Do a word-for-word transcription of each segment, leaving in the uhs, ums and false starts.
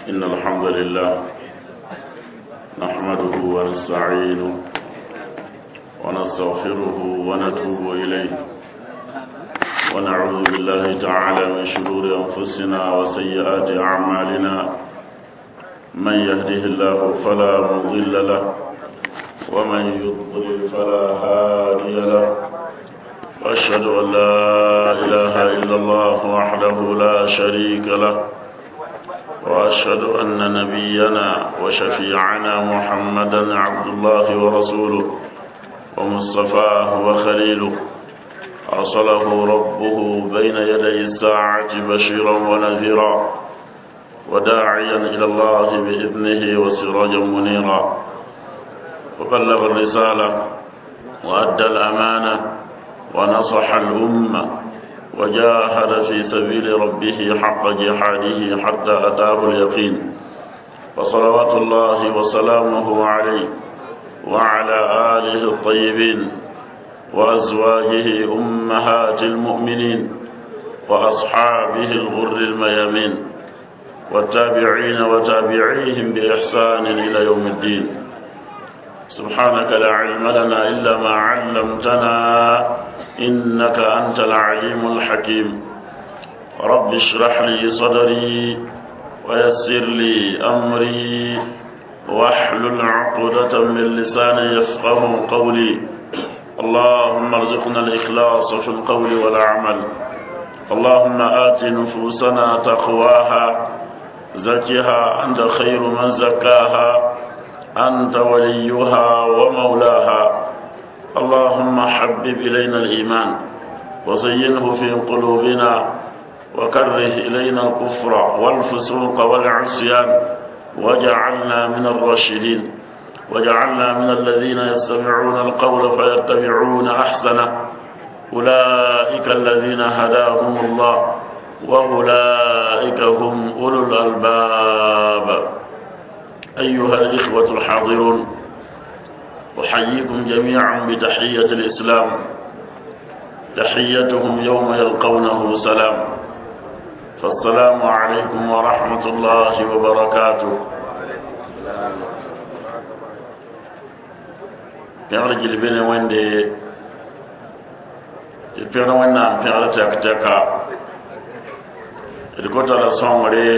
إن الحمد لله نحمده ونستعينه ونستغفره ونتوب إليه ونعوذ بالله تعالى من شرور أنفسنا وسيئات أعمالنا من يهده الله فلا مضل له ومن يضلل فلا هادي له وأشهد أن لا إله إلا الله وحده لا شريك له وأشهد أن نبينا وشفيعنا محمدا عبد الله ورسوله ومصطفاه وخليله أرسله ربه بين يدي الساعة بشيرا ونذيرا وداعيا إلى الله بإذنه وسراجا منيرا وبلغ الرسالة وأدى الأمانة ونصح الأمة وجاهد في سبيل ربه حق جهاده حتى أتاه اليقين وصلوات الله وسلامه عليه وعلى آله الطيبين وأزواجه أمهات المؤمنين وأصحابه الغر الميامين والتابعين وتابعيهم بإحسان إلى يوم الدين. سبحانك لا علم لنا إلا ما علمتنا إنك أنت العليم الحكيم. رب اشرح لي صدري ويسر لي أمري واحلل عقدة من لساني يفقه قولي. اللهم ارزقنا الإخلاص في القول والعمل. اللهم آت نفوسنا تقواها زكها أنت خير من زكاها أنت وليها ومولاها. اللهم حبب إلينا الإيمان وزينه في قلوبنا وكره إلينا الكفر والفسوق والعصيان وجعلنا من الراشدين وجعلنا من الذين يستمعون القول فيتبعون أحسنه أولئك الذين هداهم الله وأولئك هم أولو الألباب. أيها الإخوة الحاضرون، أحييكم جميعا بتحية الإسلام، تحيتهم يوم يلقونه سلام. فالسلام عليكم ورحمة الله وبركاته. Pẽgr gil be ne Wẽnde tɩ pẽgr Wẽnnaam pẽgr tɛk tɛka d gota la sõngre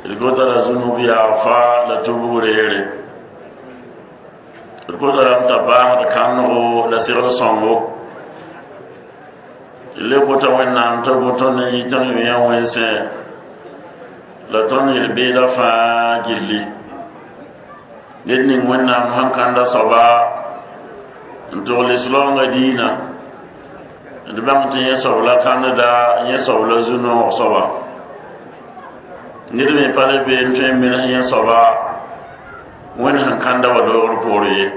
d gota la zũnub yaafa la tubg reere d gota lame t'a baasd kãnego la segl sõngo tɩ le gota Wẽnnaam t'a go tõnd n yɩ tõnd yã wẽnsẽ la tõnd yel-beedã fãa gilli ned ning Wẽnnaam sẽn kãnda soaba n togl lislaoongã diinã d bãng tɩ yẽ soab la kãndda yẽ soab la zu-noog soaba ned me pa le bee n tõe n mens yẽ soaba Wẽnd sẽn kãnda wa doogr poore ye.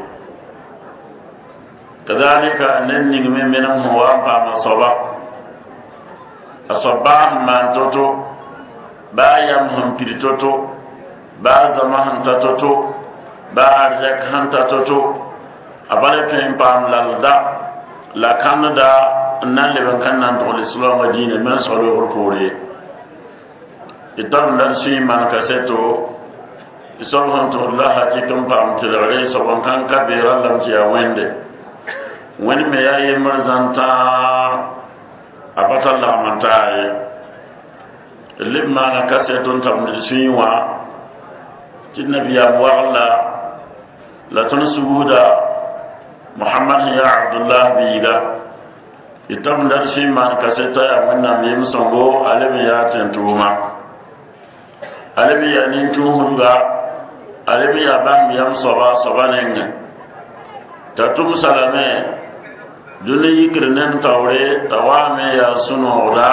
Kadalika ned ning me menem sẽn wa n paam a soaba a soab baa sẽn maan to-to baa yam sẽn pid to-to baa zama sẽn ta to-to baa arzɛk sẽn ta to-to a pa le tõe n paam lalda la kãndda n na n leb n kãn na n togl lislaoongã diinã me n sao loogr poore ye. Tɩ tar n la d sũy maan kaseto tɩ soab sẽn tʋgd la hakɩk n paam tɩlgre soab n kãn ka beerã lame tɩ yaa Wẽnde. Wẽnd me yaa yembr zãn tãa a pa tar lagm n taa ye. D leb maana kaseto n tabd d sũyẽ wã tɩ nabiyaam wagl la la tõnd sugda Muhammad sẽn yaa Abdullah biiga tɩ tabd d sũy maan kaseta yaa Wẽnnaam yem-sõngo a leb n yaa tẽn-tʋʋma a leb n yaa nin-tũusdga a leb n yaa bãmb yam soaba soaba nengẽ t'a tʋmsa lame dũni yikr nem taoore t'a waame yaa sũ-noogda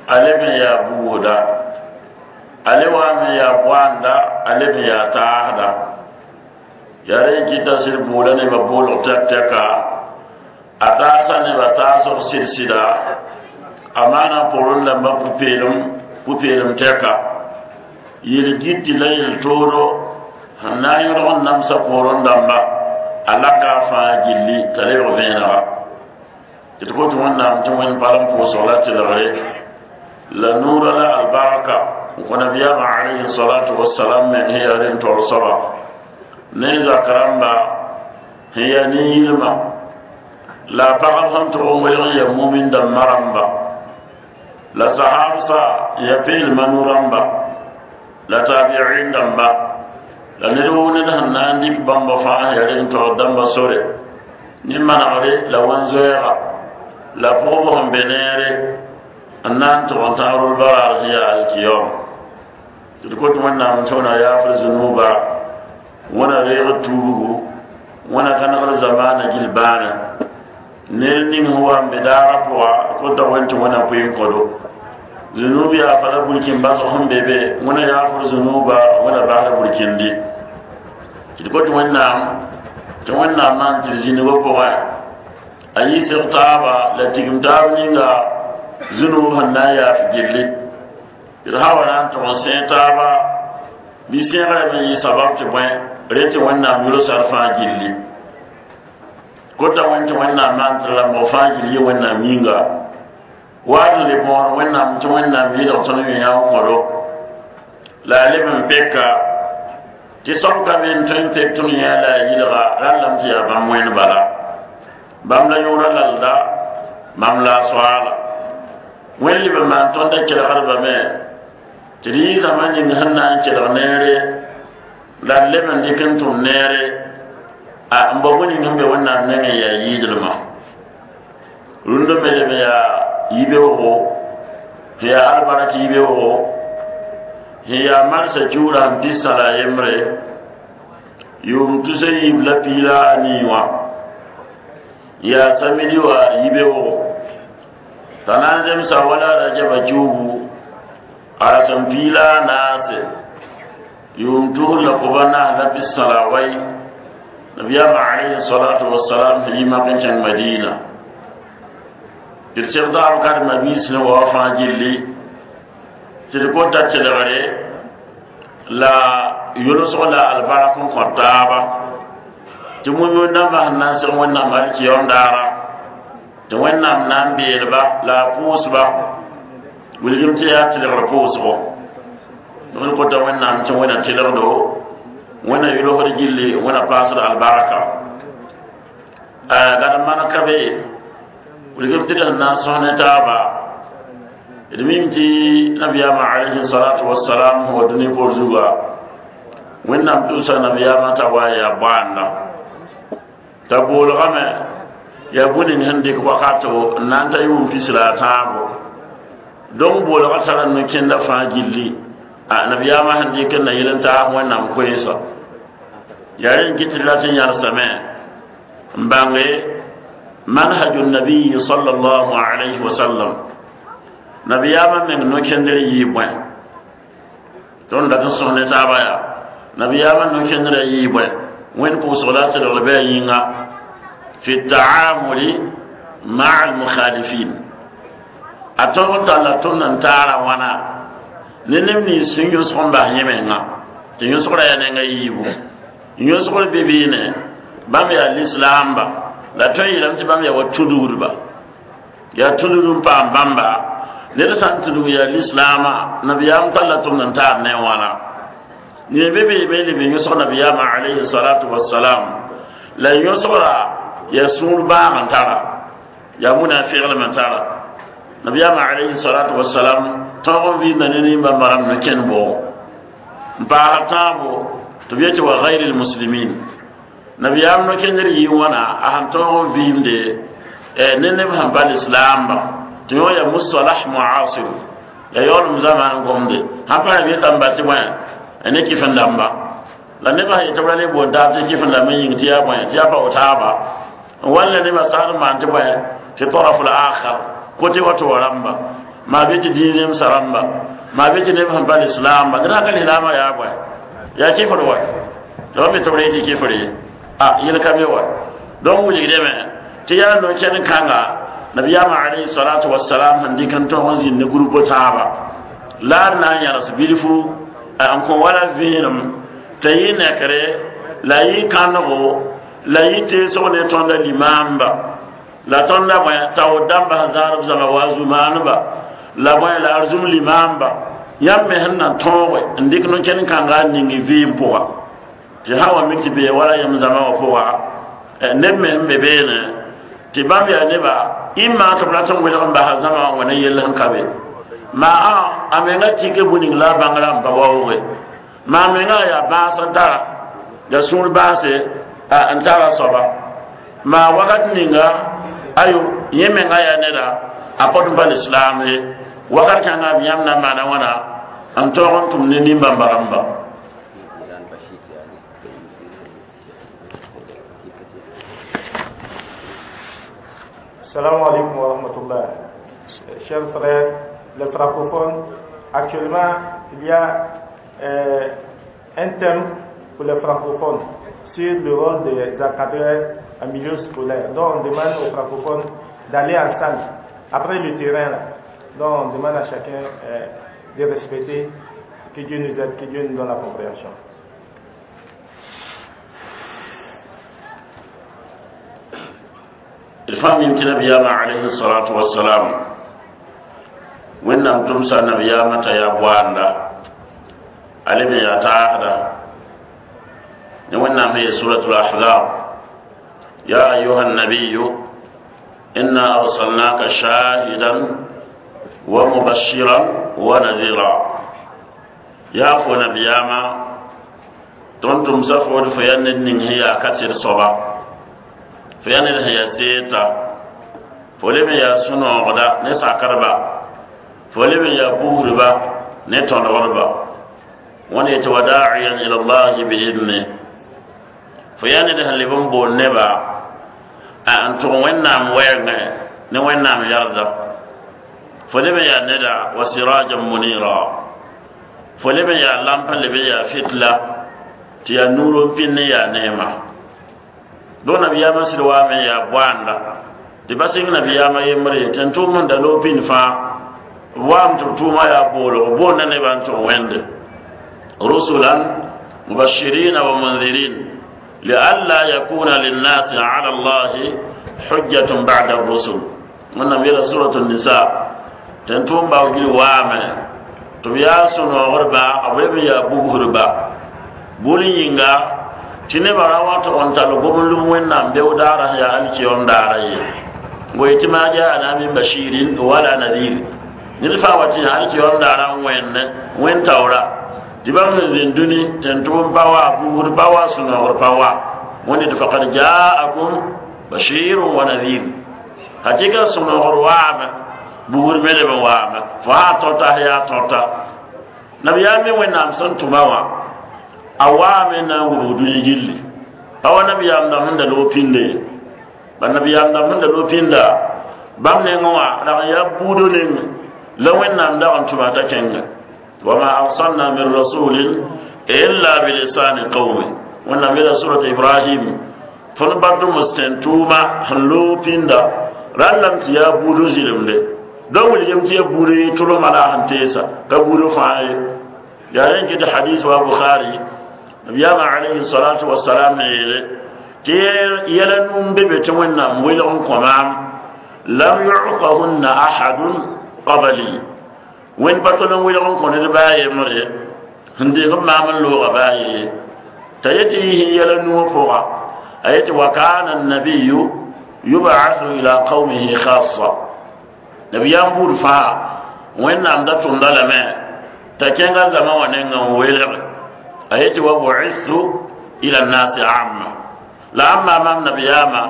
a leb n yaa buusda a le waame yaa boanda a leb n yaa taasda yaa rẽ n kɩta sɩd boola nebã boolg tɛk tɛka a taasa nebã taasg sɩd-sɩda a maana pʋrẽ lambã pʋ-peelem pʋ-peelem tɛka yel-giti la yel-toodo sẽn na n yõdg n namsa poorẽ dãmba a laka a fãa gilli t'a lebg vẽenega tɩ d kot Wẽnnaam tɩ Wẽnd palem pʋʋsg la tɩlgre la nuurã la albarka albarka n kõ nabiyaamã alayhi salatu wasalam meng sẽn yaa rẽn taoor soaba ne zak rãmba sẽn yaa nin-yilmã la a pagb sẽn tʋg n welg n yaa mumin dãmbã rãmba la sahabsa ya peelmã nu-rãmba la tabi'in dãmba la ned woo ned sẽn na n dɩk bãmba fãa yaa rẽn taoor dãmba sore ne manegre la wẽn-zoɛɛga la pʋgb sẽn be neere n na n tʋg n tãag rol baraar sẽn yaa alkiyom tɩ d kot wẽnnaam tɩ wẽna yaafr zunuba wẽna reeg tuubgu wẽna kãnegr zamaana gill bãane ned ning sẽn wa n be daara pʋga kota wẽn tɩ wẽna pʋɩ n kõdo zunub yaa fa la burkin basg sẽn be be wẽna yaafr zunuba wẽna basr burkindi tɩ d kot wẽnnaam tɩ wẽnnaam maan tɩ d zĩnigã pʋgẽ a yiisg taaba la tigim taab ninga zunub sẽn na n yaaf gilli d sã wa na n tʋg n sẽeg taaba bɩ sẽegrame n yɩ sabab tɩ bõe re tɩ wẽnnaam yʋlsd fãa gilli kota wẽn tɩ wẽnnaam maan tɩ rãmbg fãa gill yɩ wẽnnaam yĩnga waat n le bõor wẽnnaam tɩ wẽnnaam yɩlg tõnd yõ n kõdo la a leb n peka tɩ soab ka me n tõe n pek tõnd yã la a yɩlga rallame tɩ yaa bãmb wẽnd bala bãmb la yõora lalda bãmb la a soaala wẽnd leb n maan tõndã kelgdbame tɩ d yɩ zãma ning sẽn na n kelg neere la d leb n dɩk n tʋm neere a n bao bõe ning sẽn be wẽnnaam nengẽ yaa yɩɩdlmã rũndã me leb n yaa yibeoogo sẽn yaa albark yibeoogo sẽn yaa marsã kiuurã sẽn pis-sã la a yembre yʋʋm tus a yiib la piig la a nii wã yaa samidi wa yibeoogo t'a na n zemsa wala rajaba kiugu a rasem piig la a naase yʋʋm tusr la koba naas la pis-sã la a wai nabiyaamã alayhi salatu wasalam sẽn yi mak n kẽng madina tɩ d segdaab karema biis ne wa fãa gilli tɩ d kota kelgre la yʋlsg la albark n kõ taaba tɩ wĩm dãmbã sẽn na n seg wẽnnaam alkiyom daara tɩ wẽnnaam na n beelba la a pʋʋsba wilgem tɩ yaa tɩlgr pʋʋsgo d kota wẽnnaam tɩ wẽna tɩlgdo wẽna yʋlsd gilli wẽna paasd albarka gad man ka be wilgem tɩ d sẽn na n sõs ne taaba d mim tɩ nabiyaamã alayhi salatu wasalam sẽn wa dũni por zuga wẽnnaam tʋʋsa nabiyaamã t'a wa n yaa bõanda t'a boolgame yaa bõe ning sẽn dɩk wakato n na n ta yʋʋm pis la a tãabo donc boolga tara no-kẽndã fãa gilli a nabiyaamã sẽn dɩk n na yel n taas wẽnnaam koeesa yaa rẽn kɩ tɩ d rat n yãlsame n bãnge manhaju nabiyi sallallahu alayhi wa sallam nabiyaamã meng no-kẽndr yɩɩ bõe tõnd dat n sõs ne taaba yaa nabiyaamã no-kẽndrã yɩɩ bõe wẽnd pʋʋsg la a tɩlgl bɩ a yĩnga fi taamuli maa almukhalifin a tõg n talla tõnd n taara wãna ne neb nins sẽn yõsg n bas yẽ menga tɩ yõsgrã yaa nenga yiibu yõsgr be beene bãmb yaa lislaamba la tõe n yeelame tɩ bãmb yaa wa tudgdba yaa tudgd n paam bãmba ned sã n tudg yaa lislaamã nabiyaam talla tʋmd n taar ne wãna ne be beeme leb n yõsg nabiyaamã alayhi salatu wasalam la yõsgra yaa sũur bãag n tara yaa munafiglem n tara nabiyaamã alayhi salatu wasalam tõog n vɩɩmda ne nin-bãmba rãmb no kẽnd bʋʋgo n paasd tãabo tɩ b yetɩ wa gayri lmuslimin nabiyaam no-kẽndr yɩ wãna a sẽn tõog n vɩɩmde ne neb sẽn pa lislaamba tɩ yõ yaa mustalah muasir yaa yaoolem zaman gomde sãn pa b yetame bas tɩ bõe ne kɩf n dãmba la nebã sẽn yetɩ b ra le boond taab tɩ kɩf n dãmb n yĩng tɩ yaa bõe tɩ yaa pa taaba n wall la nebã sagd n maan tɩ bõe tɩ taraf l-akhar kote wa tɩ wa rãmba maa be tɩ dĩin zemsa rãmba maa be tɩ neb sẽn pa lislaamba dẽn sã ka lislaamã yaa bõe yaa kɩfr wa la wa me tɩ b re tɩ kɩfr ye a yel ka be wa donc wilgdame tɩ yaa no-kẽnd kãnga nabiyaamã alayhi salatu wasalam sẽn dɩk n tõog n zĩnd ne groupe taaba la d na n yãls bilfu n kõ wala vẽenem t'a yɩ nekre la yɩ kãnego la yɩ teesg ne tõndã limaamba la tõndã bõe taood dãmba sẽn zãad b zãma wa zu-maaneba la bõe la arzum limaamba Yãmb me sẽn na tõoge n dɩk no-kẽnd kãnga n ning vɩɩm pʋga tɩ sã wa mik tɩ bee wala yãmb zãma wã pʋga neb me sẽn be beene tɩ bãmb yaa neba ɩ maan tɩ b rat n welg n basa zãma wã wẽna yell sẽn ka be maa a menga tɩke bũ-ning la a bãngrã n pa waooge maa menga yaa bãas n tara ya sũur bãase n tara soaba maa wakat ninga ayo yẽ menga yaa neda a pot n pa lislaam ye wakat kãnga b yãmb na n maana wãna n tõog n tʋm ne nin-bãmba rãmba. Salam alaikum wa rahmatullah. Chers frères, les francophones, actuellement, il y a euh, un thème pour les francophones sur le rôle des encadreurs en milieu scolaire. Donc, on demande aux francophones d'aller en salle, après le terrain. Là. Donc, on demande à chacun euh, de respecter, que Dieu nous aide, que Dieu nous donne la compréhension. الفهم يمكن نبينا عليه الصلاة والسلام وإنم تمسى نبينا يا بوانا علم يا تعالى وإنم هي سورة الأحزاب يا أيها النبي إنا أرسلناك شاهدا ومبشرا ونذيرا يا فو نبينا تنتم سفور فينن هي كسر صبا fo yaa ned sẽn yaa seeta fo leb n yaa sũ-noogda ne sakrba fo leb n yaa buusdba ne tõdgdba wẽnd yetɩ wa daa'iyan ila llahi biidni fo yaa ned sẽn leb n boond neba n tʋg wẽnnaam wɛɛngẽ ne wẽnnaam yɛrda fo leb n yaa neda wa sirajan munira fo leb n yaa lamp n leb n yaa fitla tɩ yaa nuur n pĩnd n yaa neema do nabiyama sɩd waame yaa boanda tɩ ba sɩng nabiyama yembre tɩ n tʋʋm n da loog pĩnd fãa b waam tɩ b tʋʋma yaa boolg boonda nebã n tʋg wẽnde rusulan mubashirina wa munzirin lialla yakuna linnasi ala allahi hujjatun ba'da rusul wẽnnaam yeela surat nisa tɩ n tʋʋm bao gil waame tɩ b yaa sũ-noogdba b leb n yaa bugsdba bʋl yĩnga tɩ nebã ra wa tʋg n tall gom-lum wẽnnaam beoog daara sẽn yaa alkiyom daara ye woe tɩ maa jaana min bashirin wala nadir ned fãa wa tɩ alkiyom daara n wẽnne wẽn taoora tɩ bãmb sẽn zĩnd dũni tɩ n tʋm pa wa buusd pa wa sũ-noogr pa wa wẽnde tɩ fakad jaakum bashirun wa nadir hakɩka sũ-noogr waame buusd me leb n waame fo sã tõta sẽn yaa tõta nabiyaam me wẽnnaam sẽn tʋma wã a waame na n wubg dũni gilli pa wa nabiyaam dãmb sẽn da loog pĩnda ye ba nabiyaam dãmb sẽn da loog pĩnda bãmb nengẽ wã rag n yaa buudo nengẽ la wẽnnaam dag n tʋma t'a kẽnga wama arsalna min rasulin illa bilisani qawmi wẽnnaam yeela surat ibrahim tõnd batʋms tẽn tʋʋma sẽn loog pĩnda rãllame tɩ yaa buudo zɩlemde dõn wilgem tɩ yaa buudo ye tʋlmã la a sẽn teesa ka buudo fãa ye yaa rẽn kɩ tɩ hadis wa bukhari nabiyama alayhi salatu wassalam yeele tɩ yɛla num be be tɩ wẽnnaam welg n kõ maam lam yuctahunna ahadun qabli wẽnd pa tol n welg n kõ ned baa yembre sẽn deeg b maam n looga baa ye t'a yetɩ yɩ yɛla nuwã pʋga a yetɩ wa kana annabiyu yub'athu ila qawmihi khassa nabiyaam buud fãa wẽnnaam da tʋmda lame t'a kẽnga zama wã nengã n welge a yetɩ wa bu'ithu ila nnasi amma la ãmba maam nabiyaama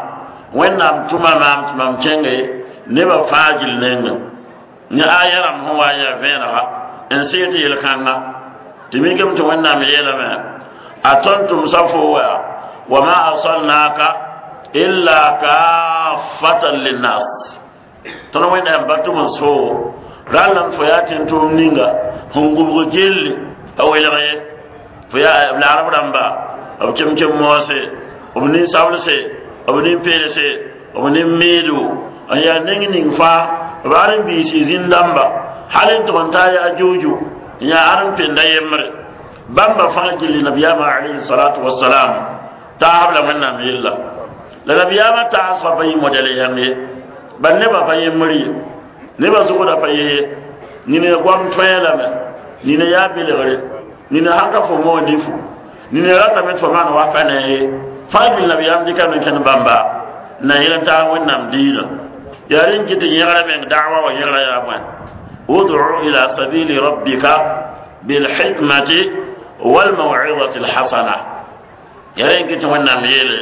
wẽnnaam tʋma maam tɩ mam kẽnge nebã fãa gil nengẽ ne aya rãmb sẽn wa n yaa vẽenega n sɩg tɩ yel-kãnga tɩ mikame tɩ wẽnnaam yeelame a tõnd tʋmsa fo wa wama arsalnaka illa kaffatan linnas tõnd wẽnnaam pa tʋms fo rãllame fo yaa tẽn tʋʋm ninga sẽn gubg gilli a welg ye fo yaa b laarb rãmba b kem-kem moose b nin-sablse b nin-peelse b nin-meedo n yaa neng ning fãa b ãrem-biisi zĩn-dãmba hal n tʋg n taa yaa juuju n yaa ãrem-penda yembre bãmba fãa gilli nabiyaamã alayhi salatu wasalam taasb la wẽnnaam yella la nabiyaamã taasgã pa yɩ modɛl yãng ye bal nebã pa yembr ye nebã zʋgdã pa ye ye nina goam tõe lame Nina yaa belgre, nina sãn ka fo moog nifu, nina ratame tɩ fo maan wa pa ne ye. Fãa gil nabiyaam dɩka no kẽnd bãmba na yẽl n taag Wẽnnaam diinã. Yaa rẽn kɩ tɩ yẽgra meng da'wa wa yẽgra yaa bõe? Ud'u ila sabili rabbika bilhikmati walmaw'izati alhasana. Yaa rẽn kɩ tɩ Wẽnnaam yeele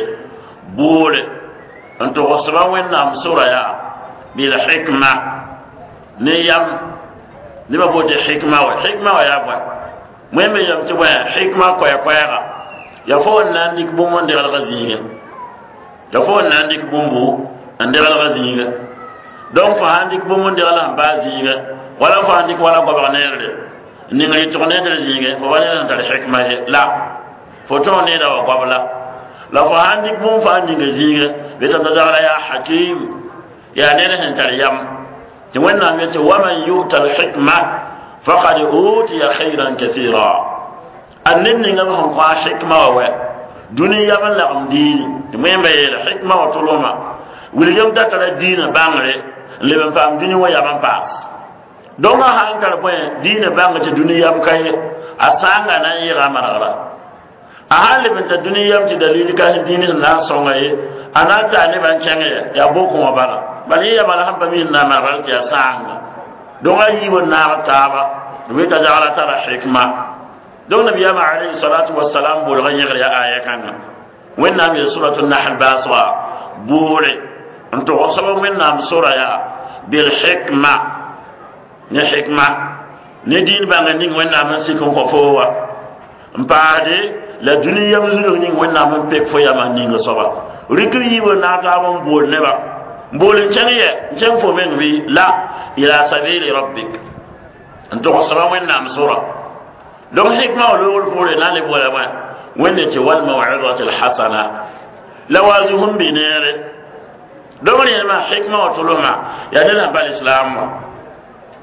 boole n togsba Wẽnnaam sora yaa bilhikma ne yam. Nebã boot hikma wa, hikma wa yaa bõe? Wẽmbe yam tɩ bõe hikma koɛɛ-koɛɛga ya fo n na n dɩk bũmb n degelga zĩigẽ, ya fo n na n dɩk bũmbu n degelga zĩigẽ. Donc fo sãn dɩk bũmb n degl sẽn baa zĩigẽ, wala fo sãn dɩk wala goabg neerre n ning yɩtg nedr zĩigẽ, fo pa ned sẽn tar hikma ye la fo tõog needa wa goab la. La fo sãn dɩk bũmb fãa ninga zĩigẽ, betame t'a zagla yaa hakim, yaa ned sẽn tar yam. Tɩ Wẽnnaam yetɩ waman yuta alhikma faqad utiya khayran kathira. A ned ninga b sẽn kõ a hikma wa wɛ dũni yam n lagem diini. Tɩ wẽmba yeele hikma wa tʋlʋma wilgem t'a tara diinã bãngre n leb n paam dũni wã yam n paas. Donc a sãn tar bõe diinã bãng tɩ dũni yam ka ye, a sãanga na n yɩga a manegra. A sãn leb n ta dũni yam tɩ dalil ka sẽn dĩin sẽn na n sõnga ye, a na n taa nebã n kẽng yɛ yaa bokẽ wã bala. Bala yẽ yama la sẽn pa mi sẽn na n manegra tɩ yaa sãanga. Donc a yiib n naag taaba tɩ b t'a zagla tara hikma. Donc nabiyaamã alayhi salatu wasalam boolgã yẽgr yaa aya kãngã. Wẽnnaam yeel suratu nahl baasga boore n tog soab Wẽnnaam sora yaa bilhikma ne hikma ne diin bãnga ning Wẽnnaam n sik n kõ foo wa n paasde la dũni yam zulg ning Wẽnnaam n pek fo yama n ninga soaba. Rɩkr yiib n naag taab n bool neba n bool n kẽng yɛ n kẽng fo meng bɩ la ila sabili rabbik n tog soaba Wẽnnaam sora. Donc hikma wa loogr poore na n le boola bõe? Wẽnde tɩ walmaw'izati alhasana la waazuhum bɩ neere. Donc rẽndmã hikma wa tʋlʋsmã yaa ned sẽn pa lislaam wa,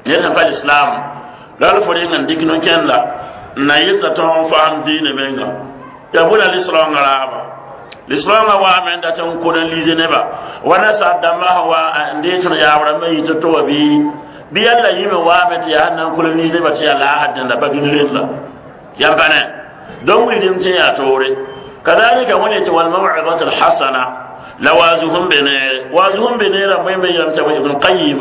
ned sẽn pa lislaam la l fo reng n dɩk no-kẽnda n na yɩlta tõog n faam diinã menga. Yaa bõe la lisrãongã raaba? Lisrãongã waame n dat n kolonise neba wa nasaar dãmbã sẽn wa n dee tõnd yaab rãmbã yɩ to-to wa bɩ bɩ yalla yĩme waame tɩ yaa sẽn na n kolonise neba tɩ yaa laasd dẽnda pa dũni renda yãmb pa ne. Donc wilgem tɩ yaa toore. Kadalika wẽnd tɩ walmaw'izat alhasana la waazuhum be neere, waazuhum be neerã wẽmbe yeelame tɩ Ibn Qayim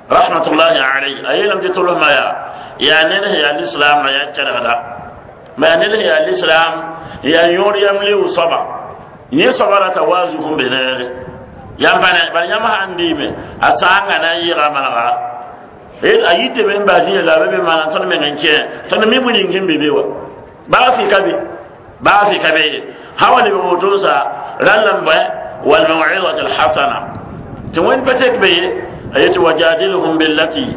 rahmatullahi alayhi a yeelame tɩ tʋlsmã yaa yaa ned sẽn yaa lislaamã yaa kɛrgda ma yaa ned sẽn yaa lislaam yaa yõod yam liu soaba yẽ soaba rata waazuhum be neere yãmb pa ne. Bala yãmb sãn dɩɩme a sãanga na n yɩga manegara a yitame n bas yĩna la b be maana tõnd meng n kẽ tõnd mi bõe ning sẽn be be wa baa fɩ ka be, baa fɩ ka be ye sã wa leb woto sa rãnd la n bõe walmaw'izat alhasana tɩ wẽnd pa tek be ye a yetɩ wajadilhum billati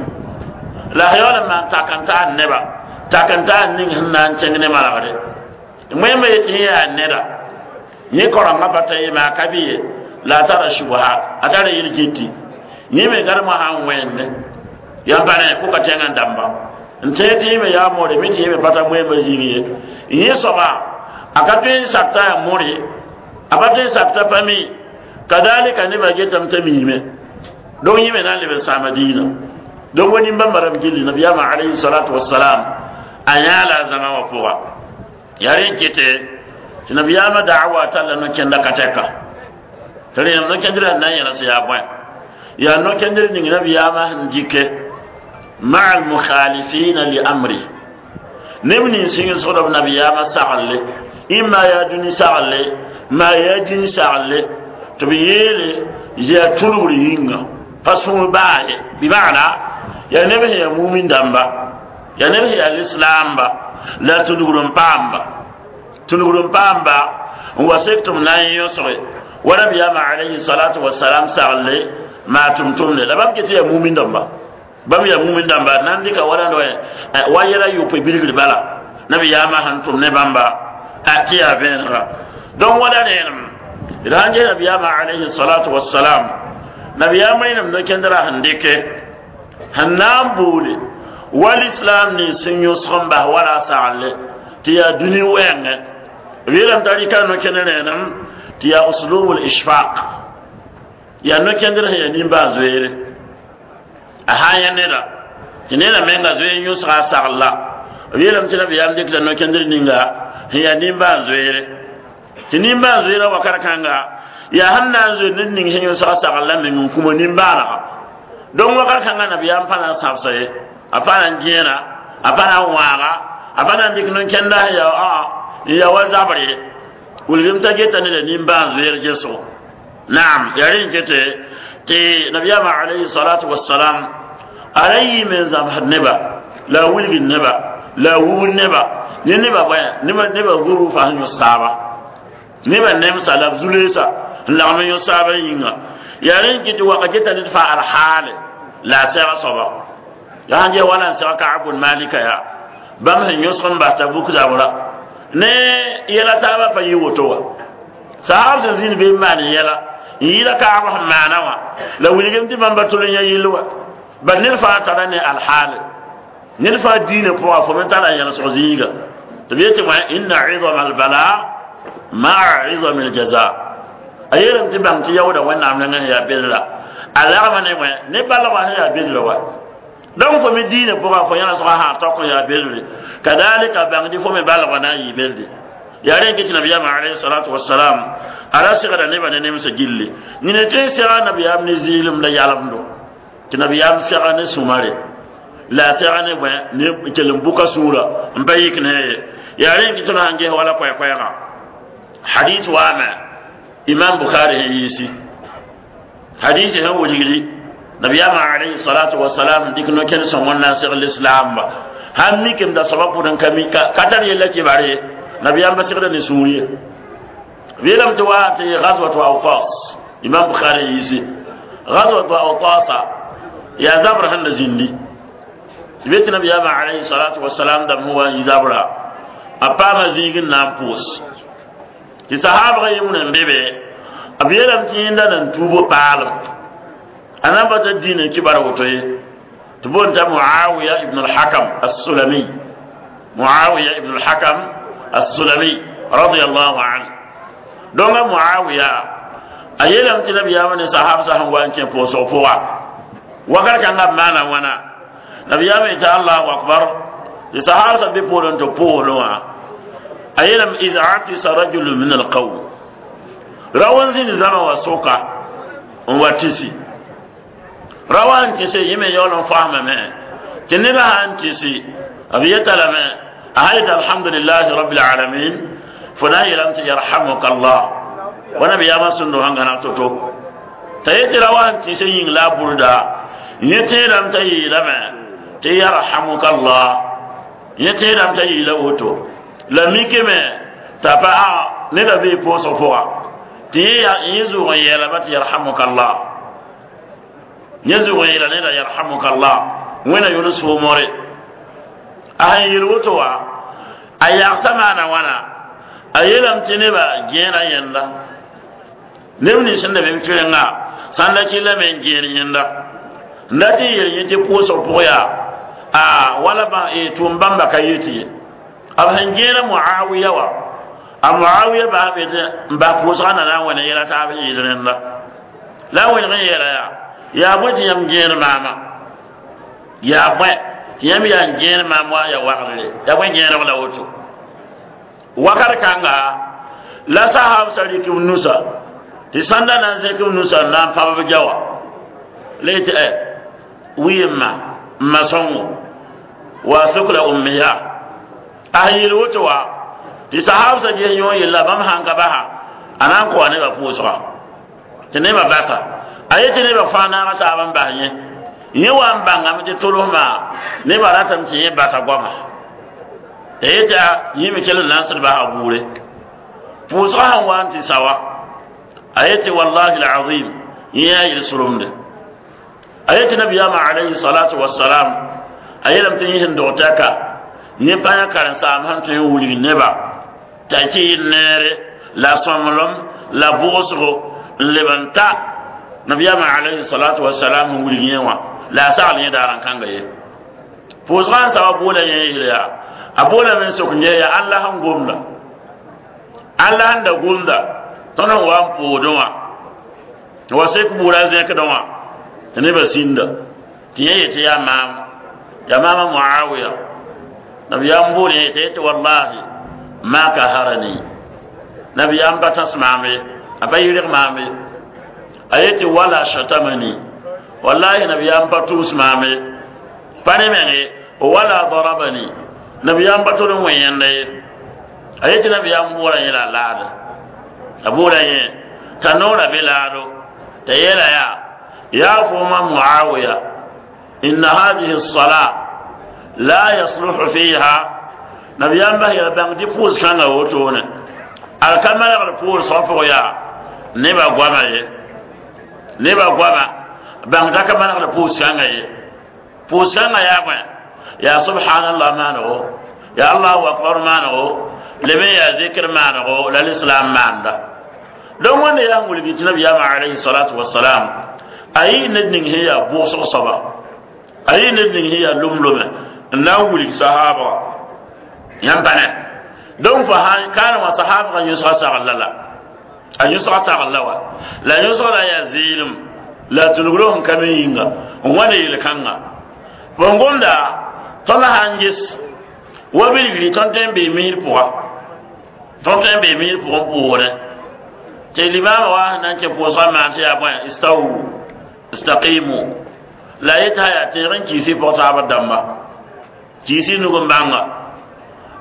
la a yaool n maan tak n taan neba tak n taan ning sẽn na n kẽng ne manegre. Wẽmba yetɩ yẽ yaa neda yẽ kaorengã pa ta ye maa ka bɩ ye la a tara shubhat a tara yel-gĩti yẽ me gãremã sã n wẽnde yãmb pa ne kʋka tẽngã dãmba n tẽeg tɩ yẽ me yaa moore mi tɩ yẽ me pa ta wẽmba zĩig ye. Yẽ soaba a ka tõe n sakta yaa more, a pa tõe n sakta pa mi kadalika nebã getame t'a miime. Donc yẽ me na n leb n sãama diinã. Donc wa nin-bãmba rãmb gilli nabiyaamã alayhi salatu wasalam a yãa la a zãma wã pʋga yaa rẽn kɩtɛ tɩ nabiyaamã da'wa talla no-kẽnda ka tɛka tɩ rẽnem no-kẽndrã na n yẽls yaa bõe yaa no-kẽndr ning nabiyaamã sẽn dɩke ma'a almukhalifina li amri neb nins sẽn b nabiyaamã sagenle imma yaa dũni sagenle maa yaa dĩn sagenle tɩ b yeele yaa tũlgr yĩnga pa sũur baa ye bɩ maana yaa neb sẽn yaa mumin dãmba yaa neb sẽn yaa lislaamba la tũlgr n paamba tũlgr n paamba n wa sek tɩ b na n yõsge wa nabiyaamã alayhi salatu wasalam sagenle maa tʋm-tʋmde la bãmb ket yaa mumin dãmba bãmb yaa mumin dãmba na n dɩka wala wa yɛla yopoe bilgr bala nabiyaamã sẽn tʋm ne bãmba tɩ yaa vẽenega. Donc wala rẽenem d sãn ges nabiyaamã alayhi salatu wasalam nabiyaam rẽnem no-kẽndrã sẽn dɩke sẽn na n boole wal islam nins sẽn yõsg n bas wala a sagenle tɩ yaa dũni wɛɛngẽ b yeelame t'a rɩka no-kẽnd rẽenem tɩ yaa uslubul ishfaq yaa no-kẽndr sẽn yaa nimbãan-zoeere a sã n yã neda tɩ neda menga zoe n yõsga a sagl la B yeelame tɩ nabiyaam dɩkda no-kẽndr ninga sẽn yaa nimbãan-zoeere tɩ nimbãan-zoeerã wakat kãnga yaa sẽn na n zoe ned ning sẽn yõsga sagl la meng n kũma nimbãanega donc wakat kãngã nabiyaam pa na n sãbsa ye a pa na n gẽena a pa na n wãaga a pa na n dɩk no-kẽnda sẽn yaa n ya wa zabr ye wilgem t'a geta neda nimbãan-zoeer gesgo naam yaa rẽ n kete tɩ nabiyaamã alayhi salatu wassalam a ra yɩɩme n zãmsd neba la a wilgd neba la a wubd neba ne neba bõe neba neba gurufa sẽn yõs taaba neba nemsa la b zu-leesa n lagm n yõs taabã yĩnga yaa rẽ n kɩ tɩ waka geta ned fãa alhaale la a sɛg soaba la sãn ges wala n sɛg Kaabun Malika yaa bãmb sẽn yõsg n bas t'a buk zabra ne yɛla taabã pa yɩ woto wa saab sẽn zĩnd be n maan yɛla n yɩɩda kaab sẽn maana wã la wilgem tɩ bãmba tol n yã yɩll wa bal ned fãa tara ne alhaale ned fãa diinã pʋga fo me tara yẽlsg zĩiga tɩ b yetɩ wã inna izama albala maa izami aljaza a yeelame tɩ bãng tɩ yaooda wẽnnaam nengẽ sẽn yaa bedra a lagma ne wẽ ne balgã sẽn yaa bedra wa donc fo me diinã pʋga fo yẽlsgã sã tok n yaa bedre kadalika bãngdɩ fo me balgã na n yɩ bedre yaa rẽ n kɩ tɩ nabiyaamã alayhi salatu wasalam a ra segda nebã ne nemsã gilli nina tɩ n sega nabiyaam ne zɩɩlem la yalemdo tɩ nabiyaam sega ne sũmare la a sega ne bõe ne kell n buka sũurã n pa yik ne ye yaa rẽ n kɩ tõnd sãn ges wala koɛ-koɛɛga hadis waame imam Bukhari sẽn yiisi hadis sẽn wilgdi nabiyaamã alayhi salatu wasalam dɩk no-kẽnd sõng n na n segl lislaamba sãn mikem da soaba pʋd n ka mi ka tar yella kɩbar ye nabiyaam pa segda ne sũur ye b yeelame tɩ wa tɩ gazwatu Autas imam Bukhari yiisi gazwatu Autasa yaa zabr sẽn da zĩndi tɩ be tɩ nabiyaamã alayhi salatu wasalam dãmb sẽn wa n yi zabra a paama zĩig n na n pʋʋs tɩ sahaabg yɩmd n be be b yeelame tɩ yẽnda nan tuubo paalem a na n pa t'a diinã kibar woto ye tɩ boond t'a Muawiya ibn al-Hakam as-Sulami Muawiya ibn al-Hakam as-Sulami radiyallahu anhu donc a Muawiya a yeelame tɩ nabiyaamã ne sahab sã sẽn wa n kẽ pʋʋsg pʋga wakat kãngã b maana wãna nabiyaamã yetɩ allahu akbar tɩ sahab sã be poorẽ tɩ pʋʋsdẽ wã a yeelame id atisa rajulu min alqawm rawa n zĩnd zãma wa sʋka n wa tɩsi rawa n tɩse yẽ me yaool n faamame tɩ nebã sã n tɩsi b yeta lame a sã yetɩ alhamdulillahi rabbil alamin fo na n yeelame tɩ yarhamuka allah wa nabiyaamã sũndo sẽn gãneg to-to t'a yetɩ rawa n tɩse yĩng la a burda yẽ tẽedame t'a yeelame tɩ yarhamuka allah yẽ tẽedame t'a yeela woto la mikame t'a pa a neda bee pʋʋsg pʋga tɩ yẽ zʋʋg n yeelame tɩ yarhamuka allah yẽ zʋʋg n yeela neda yarhamuka allah wẽna yʋl soomore a sẽn yel woto wa a yagsa maana wãna a yeelame tɩ nebã gẽena yẽnda neb nins sẽn da be b tʋrengã sãn da kɩllame n gẽen yẽnda n dat n yel yẽ tɩ pʋʋsg pʋg yaa a wala tʋʋm bãmba ka yet ye b sẽn gẽena Muawiya wa a Muawiya baa be tɩ n bas pʋʋsgã na na n wẽne yɛla taab n yɩɩd rẽnda la a wẽneg n yeela yaa yaa bõe tɩ yãmb gẽen maama yaa bõe tɩ yãmb yaa n gẽen maam wa ya wagdre yaa bõe gẽeneg la woto wakat kãnga la sahab sa rɩk b nusa tɩ sãnda na n zẽk b nusa n na n pab b jawa la yetɩ ɛ wɩɩmma n ma sõngo wa sukla ummiya a sẽn yel woto wa tɩ sahab sa ges yõ yella bãmb sãn ka basa a na n koa nebã pʋʋsga tɩ nebã basa a yetɩ nebã fãa naaga taab n bas yẽ yẽ wa n bãngame tɩ tʋlsmã nebã ratame tɩ yẽ basa goama t'a yetɩ yẽ me kell n na n sẽd basa buure pʋʋsgã sẽn wa n tɩ sawa a yetɩ wallahi alazim yẽ yaa yel-sʋlemde a yetɩ nabiyaamã alayhi salatu wasalam a yeelame tɩ yẽ sẽn dog tɛka yẽ pa yã karen-saam sẽn tõe n wilg neba t'a kɩ yɩ neere la sõmblem la bʋgsgo n leb n ta nabiyaamã alayhi salatu wasalam n wilg yẽ wã la a sagl yẽ daar n kãnga ye pʋʋsgã n saba boola yẽ yeel yaa a boolame n sok n ges yaa Allah sẽn gomda Allah sẽn da gomda tõnd n wa n pʋʋdẽ wã wa sek buurã zẽkdẽ wã tɩ nebã sĩnda tɩ yẽ yetɩ yaa maam yaa maama Muawiya Nabiyam bool yẽ tɩ wallahi ma kaharani nabiyam pa tãs maam ye a pa yɩrg maam ye a yetɩ wala shatamani wallahi nabiyam pa tʋʋs maam ye pa ne meng ye wala darabani nabiyam pa tol n wẽ yẽnda ye a yetɩ nabiyam boola yẽ la a laada a boola yẽ t'a noora be laado t'a yeela yaa yaa fooma muawiya inna hadihi الصلاة la yasluhu fiha nabiyam bas yɛl bãng tɩ pʋʋs kãngã wotone al ka malgd pʋʋsgã pʋg yaa nebã goama ye nebã goama bãng t'a ka manegd pʋʋs kãngã ye pʋʋs kãngã yaa bõe yaa subhanallah maanego yaa allahu akbar maanego leb n yaa zikr maanego la lislam maanda donc wẽnda yaa n wilgi tɩ nabiyaamã alayhi salatu wasalam a yɩ ned ning sẽn yaa bʋʋsg soaba a yɩ ned ning sẽn yaa lom-lome n na n wilg sahaabga yãmb pa ne donc fo kaana wã sahaabga yõsga sagl la la a yõsga sagl la wa la yõsga la yaa zɩɩlem la tʋlgro sẽn ka me yĩnga n wa ne yel-kãnga fo gomda tõnd sã n ges wa bilgri tõnd tõe n bee misr pʋga tõnd tõe n bee misr pʋgẽ poorẽ tɩ limaamã wa sẽn na n kẽ pʋʋsgã maan tɩ yaa bõe istawu istaqimu la yetɩ sã yaa tẽeg n kiisi pʋg taabr dãmba kiisi nug n bãnga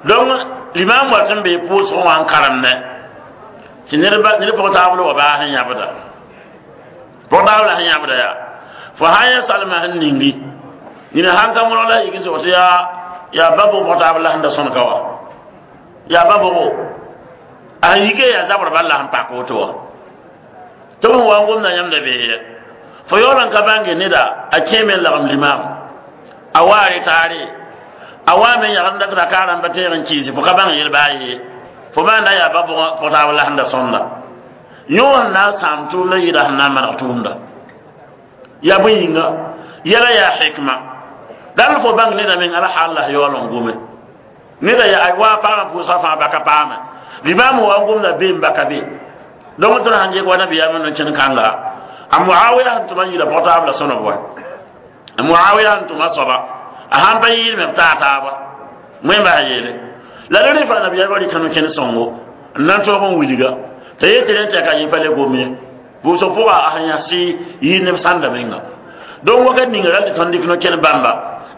donc limam wat n bee pʋʋsgẽ wã n karemdẽ tɩ ned pʋg taabl wa baa sẽn yãbda pʋg taabla sẽn yãbda yaa fo sã n yã salmã sẽn ningi nina sãn ka mõrg la yik sʋg tɩ yaa yaa ba bʋg pʋg taab la sẽn da sõnka wa yaa ba bʋgo a sẽn yike yaa zabr bal la sẽn pak woto wa tɩ b sẽn wa n gomda yãmda bee ye fo yaool n ka bãnge neda a kẽeme n lagem limam a waare taare a wa me yagd n dat raka rãmba teeg n kiisi fo ka bãng yel baa ye fo maanda yaa ba bʋgã pʋg taab la sẽn da sõnda yõ sẽn na n sãam tʋʋmda yɩɩda sẽn na n maneg tʋʋmda yaa bõe yĩnga yɛla yaa hikma dal fo bãng neda meng ala hal la yaool n gome neda yaa wa paamã pʋʋsgã fãa baka paame limaam wa n gomda bee n baka be donc tõnd sãn gek wa nabiyaamã no-kẽn kãnga a muawiya sẽn tʋma n yɩɩda pʋg taab la sõnb wa a muawiya sẽn tʋma soaba a sãn pa yɩɩdme b taa taaba wẽn bas yeele la rẽ fãa nabiyaamã rɩka no-kẽn sõngo n na n tõog n wilga t'a yetɩ rẽ tɩ ka yẽ pa le gom ye pʋʋsg pʋga a sẽn yãs yɩɩd neb sãnda menga donc wakat ninga ral tɩ tõnd dɩk no-kẽn bãmba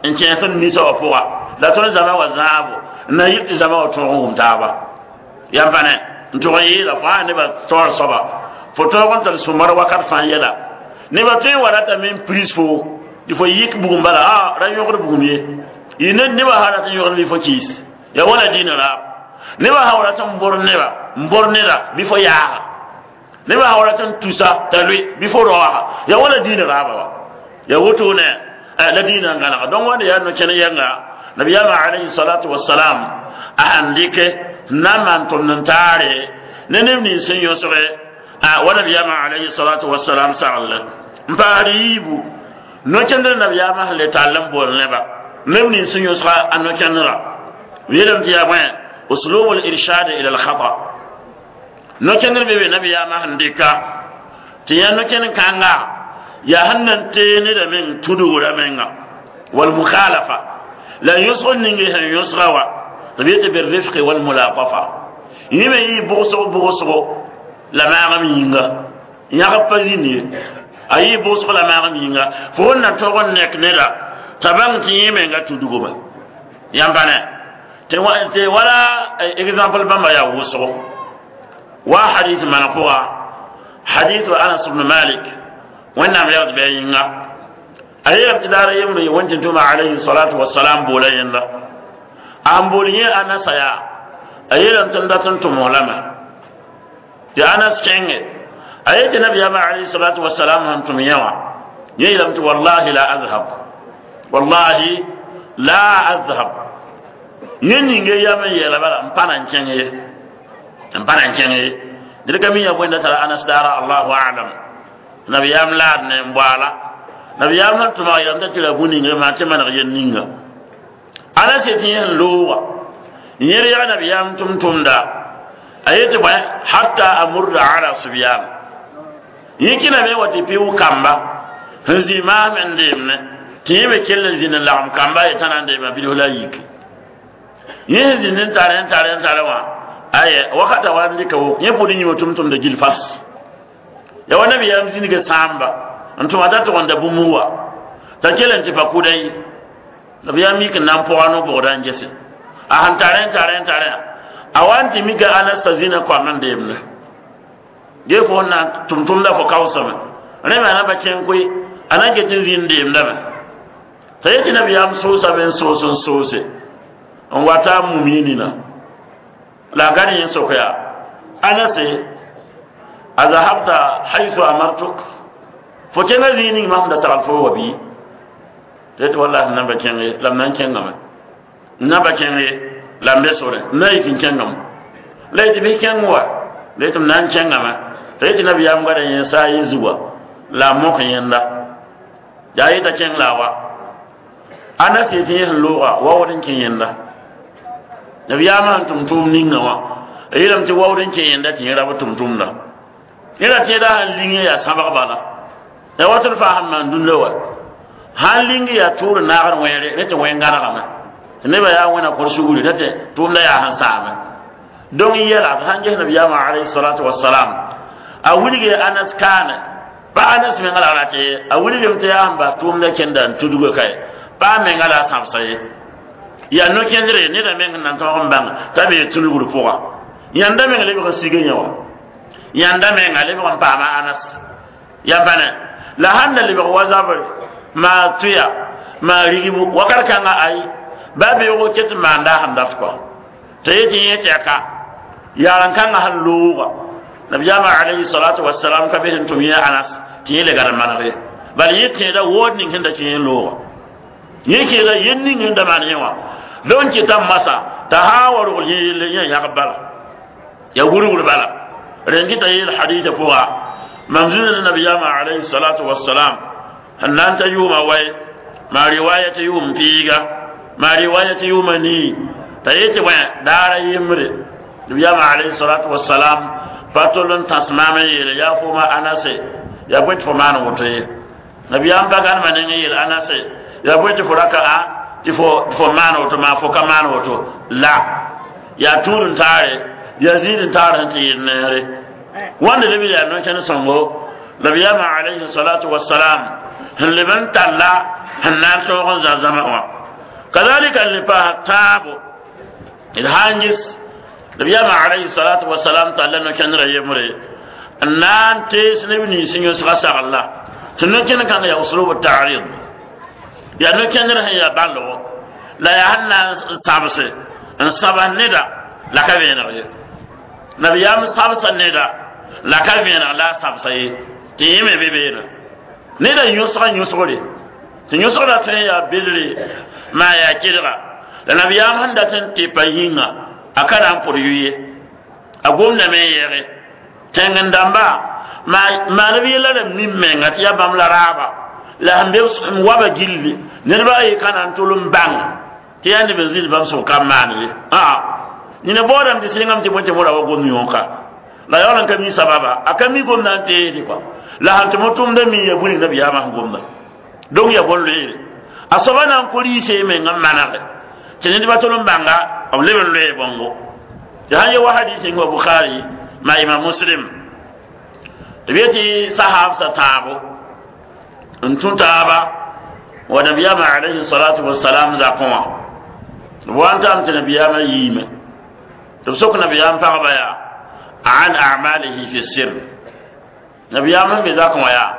n kẽes tõnd nisa wã pʋga la tõnd zama wa zãabo n na yɩl tɩ zama wa tõog n wʋm taaba yãmb pa ne n tʋg n yɩɩla fo sã nebã taoor soaba fo tõog n tar sũ-mar wakat fãa yɛla nebã tõe n wa ratame n pris fo tɩ fo yik bugum bala a ra yõgd bugum ye yɩ ned nebã sã rat n yõgd bɩ fo kiis ya wala dĩinã raab nebã sã wa rat n bor neba n bor neda bɩ fo yaaga nebã sã wa rat n tusa t'a lʋɩ bɩ fo raooga ya wala dĩinã raaba wa ya wotone la dĩinã n gãnega donc wãnda yaa no-kẽn yɛnga nabiyaamã alayhi salatu wasalam a sãn dɩke n na n maan tʋmd n taare ne neb nins sẽn yõsge wa nabiyaamã alayhi salatu wasalam sagl n paasd yiibu no-kẽndr nabiyaamã sẽn le tall n bool neba neb nins sẽn yõsga a no-kẽndrã yeelame tɩ yaa bõe uslub al-irshad ila al-khata no-kẽndr be be nabiyaamã sẽn dɩka tɩ yã no-kẽnd kãnga yaa sẽn na n tee neda meng tudugra menga wal mukhalafa la yõsg ninge sẽn yõsga wa tɩ b yetɩ birifqi wal mulatafa yẽ me yɩ bʋgsg bʋgsgo la maagem yĩnga yãgb pa zĩnd ye a yɩ bʋgsg la maagem yĩnga fo wẽn na tõg n nek neda t'a bãng tɩ yẽ menga tudgome yãmb pa ne tɩ wala exemple bãmba yaa wʋsgo wa hadith maneg pʋga hadith anas ibn malik wẽnnaam yagd bɩ a yĩnga a yeelame tɩ daara yembre wẽn tɩ tʋma alayhi salatu wasalam boola yẽnda a n bool yẽ anasa yaa a yeelame tɩ n dat n tʋms lame tɩ anas kẽnge a yetɩ nabiyaamã alayhi salatu wasalam sẽn tʋm yẽ wã yẽ yeelame tɩ wallahi la azhab wallahi la azhab yẽ ninge yam n yeela bala n pa na n kẽng ye n pa na n kẽng ye ned ka mi ya bõe tara anas daara allahu alam nabiyaam laad ne n boala nabiyaam sẽn tʋmg yeelame t'a tɩ ra bũ-ninge maa tɩ maneg yel ninga anas yetɩ yẽ sẽn looga yẽr yaa nabiyaam tʋm-tʋmda a yetɩ bõe hatta amurda ala subyan yẽ kẽname wa tɩ pɩʋ kamba sẽn zĩ maasm n deemne tɩ yẽ me kell n zĩnd n lagem kamba yetã na n deema bilf la a yike Yẽ zĩnd n tare n tare n tare wã aye wakata wa n dɩka wo yẽ pʋd yĩma tʋm-tʋmda gil fas ya wa nabiyaam zĩnige sãamba n tʋma t'a tʋg n da bũmb wa t'a kell n tɩ pa kʋda ye nabiyaam mik n na n pʋga no-bʋgda n gese a sẽn tare n tare n tare a wa n tɩ mika Anas zĩna koam n deemde ge fo n na n tʋm-tʋmda fo kaoosame rẽ me a na pa kẽng koe a na n ket n zĩnd deemdame t'a yetɩ nabiyaam soosame n soos n soose n wata a mum yẽ nina la a gad yẽ sok yaa Anase a zahabta haythu amartuk fo kẽnga zĩig ning mam da sagl fo wa bɩ tɩ yetɩ wallahi n na n pa kẽng ye la m na n kẽngame n na pa kẽng ye la m be sore n na yik n kẽngame la yetɩ bɩ kẽng wa la yetɩ m na n kẽngame t'a yetɩ nabiyaam gada yẽ saa yẽ zugã la a mok yẽnda yaa yeta kẽng la a wa Anas yetɩ yẽ sẽn looga waood n kẽ yẽnda nabiyaamã sẽn tʋm tʋʋm ninga wã a yeelame tɩ waood n kẽ yẽnda tɩ yẽ ra b tʋm-tʋmda yẽ ra tẽeda sẽn ling yaa sãbg bala ya wat d faa sẽn maan dũnda wa sãn ling yaa tʋʋr naagd wẽere rẽ tɩ wẽn gãnegame tɩ nebã yaa wẽna kõr sugri rẽ tɩ tʋʋmda yaa sẽn saame donc yɛla d sãn ges nabiyaamã alayhi salatu wasalam a wilge Anas kaane pa Anas menga la rat ye a wilgem tɩ yaa sẽn bas tʋʋmda kẽnda n tudga kae pa menga la a sãbsa ye yaa no-kẽndre neda meng n na n tõog n bãng t'a bee tulgr pʋga yãnda meng lebg n sig yẽ wã yãnda menga lebg n paama Anas ya bãne la sãn da lebg wa zabre maa tʋya maa rigbu wakat kãnga ay ba beoogo ket n maanda sẽn dat kɔa t'a yetɩ yẽ tɛka yaaren kãngã sẽn looga nabiyaamã alayhi salatu wasalam ka be sẽn tʋm yẽ Anas tɩ yẽ le gad n maneg ye bala yẽ tẽeda wood ning sẽn da kẽ yẽ looga yẽ kẽeda yel ning sẽn da maan yẽ wã donc kɩta masa t'a sã n wa rogl yẽ yelle yẽ yãgb bala ya wurgr bala rẽn kɩta yeel hadita pʋga mam zĩnd ne nabiyaamã alayhi salatu wasalam sẽn na n ta yʋʋma wae maa riwaya tɩ yʋʋm piiga maa riwaya tɩ yʋʋma nii t'a yetɩ bõe daara yembre nabiyaamã alayhi salatu wasalam pa tol n tãs maam n yeele yaa fooma Anase yaa bõe tɩ fo maan woto ye nabiyaam pa gãnema neng n yeel Anase yaa bõe tɩ fo raka a tɩ fo fo maan woto maa fo ka maan woto la yaa tũud n taare yaa zĩid n taar sẽn tɩ yɩl neere wãnda leb yaa no-kẽnd sõngo nabiyaamã alayhi salatu wasalam sẽn leb n talla sẽn na n tõog n zã-zãma wã kazalika n le paas tãabo d sã n ges nabiyaamã alayhi salatu wasalam talla no-kẽndrã yembre n na n tees neb nins yõsga sagl la tɩ no-kẽnd kãng yaa uslub ta'rid yaa no-kẽndr sẽn yaa bãlgo la yaa sẽn na n sãbse n sãbs neda la ka vẽeneg ye nabiyaam sãbsa neda la ka vẽeneg la a sãbsa ye tɩ yẽ me be beene neda yõsga yõsgre tɩ yõsgrã tõe n yaa belre maa yaa kelga la nabiyaam sẽn dat n tɩpa yĩnga a ka na n pʋd yʋ ye a gomdame n yɛge tẽng-dãmba maa neb yella rãmb nin menga tɩ yaa bãmb la raaba la sẽn be n waba gilli nedba a ye ka na n tol n bãng tɩ yaa neb n zĩnd bãmb sʋk ka n maan ye aa nina baoodame tɩ sɩngame tɩ bõe tɩ mora wa gom yõoka la yaool n ka mi sababa a ka mi gomda n teesdɩ kɔa la sãn tɩ mo tʋmda mi ya bũni nabiyaamã sẽn gomda donc ya bõn loeere a soaba na n kõ rɩɩse meng n manege tɩ nedbã tol n bãnga b leb n loee bõngo tɩ sãn ye wa hadis ning wa Bukhari ma Imam Muslim b yetɩ sahaabsã tãabo n tũ taaba wa nabiyaamã alayhi salatu wasalam zakẽ wã b wa n tame tɩ nabiyaamã yiime tɩ b sok nabiyaam pagba yaa an a'malihi fi sir nabiyaam sẽn be zakẽ wã yaa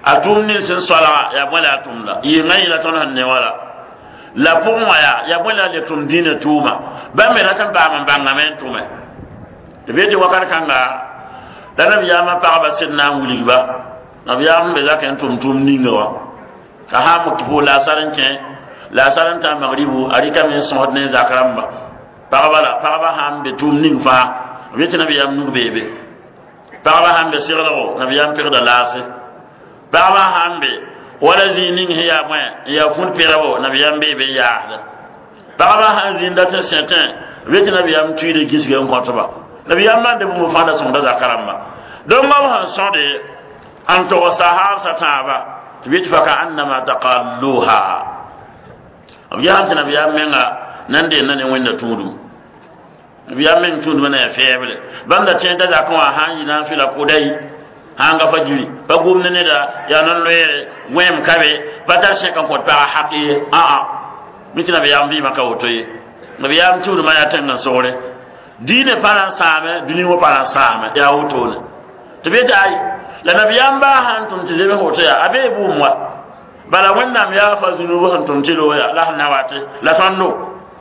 a tʋʋm nins sẽn soalga yaa bõe la a tʋmda yɩnga yẽla tõnd sẽn ne wã la la pʋgẽ wã yaa yaa bõe la a le tʋm dĩinã tʋʋma bãmb me rat n paam n bãngame n tʋme tɩ b yetɩ wakat kãnga la nabiyaamã pagba sẽd na n wilgba nabiyaam be zakẽ n tʋm tʋʋm ninga wã ka sã n pʋʋs laasar n kẽ laasar n tã magribu a rɩkame n sõsd ne zak rãmba pagba la pagba sã n be tʋʋm ning fãa b yetɩ nabiyaam nug beebe pagba sã n be seglgo nabiyaam pegda laase pagba sã n be wala zĩig ning sẽn yaa bõe n yaa fũd pegbo nabiyaam beebe n yaasda pagba sã n zĩnd dat n sẽtẽ b yetɩ nabiyaam tuida gisg n kõtba nabiyaam maanda bũmb fãa da sõngda zaka rãmba donc b sẽn sõde n tog sahaabsã tãaba tɩ b yetɩ fa ka annama taqalluha b yaa tɩ nabiyaam menga Nan dẽnda ne wẽnda tũudum nabiyaam meng tũudmã na yaa fɛɛble bãmb da tẽeda zakẽ wã sã n yɩ na n fɩla kʋda yi sãn ga fa jiri pa gomd neda yaa non-loeere wẽem ka be pa tar sẽk n kõt paga hak ye aa mi tɩ nabiyaam vɩɩmã ka woto ye nabiyaam tũudmã yaa tẽng n sogre diinɛ pa na n sãame dũni wã pa na n sãame yaa wotone tɩ b yetɩ ay la nabiyaam baa sãn tʋm tɩ zems woto yaa a bee bʋʋm wa bala wẽnnaam yaa fa zũnub sẽn tʋm tɩ looya la sẽn na wate la tõndo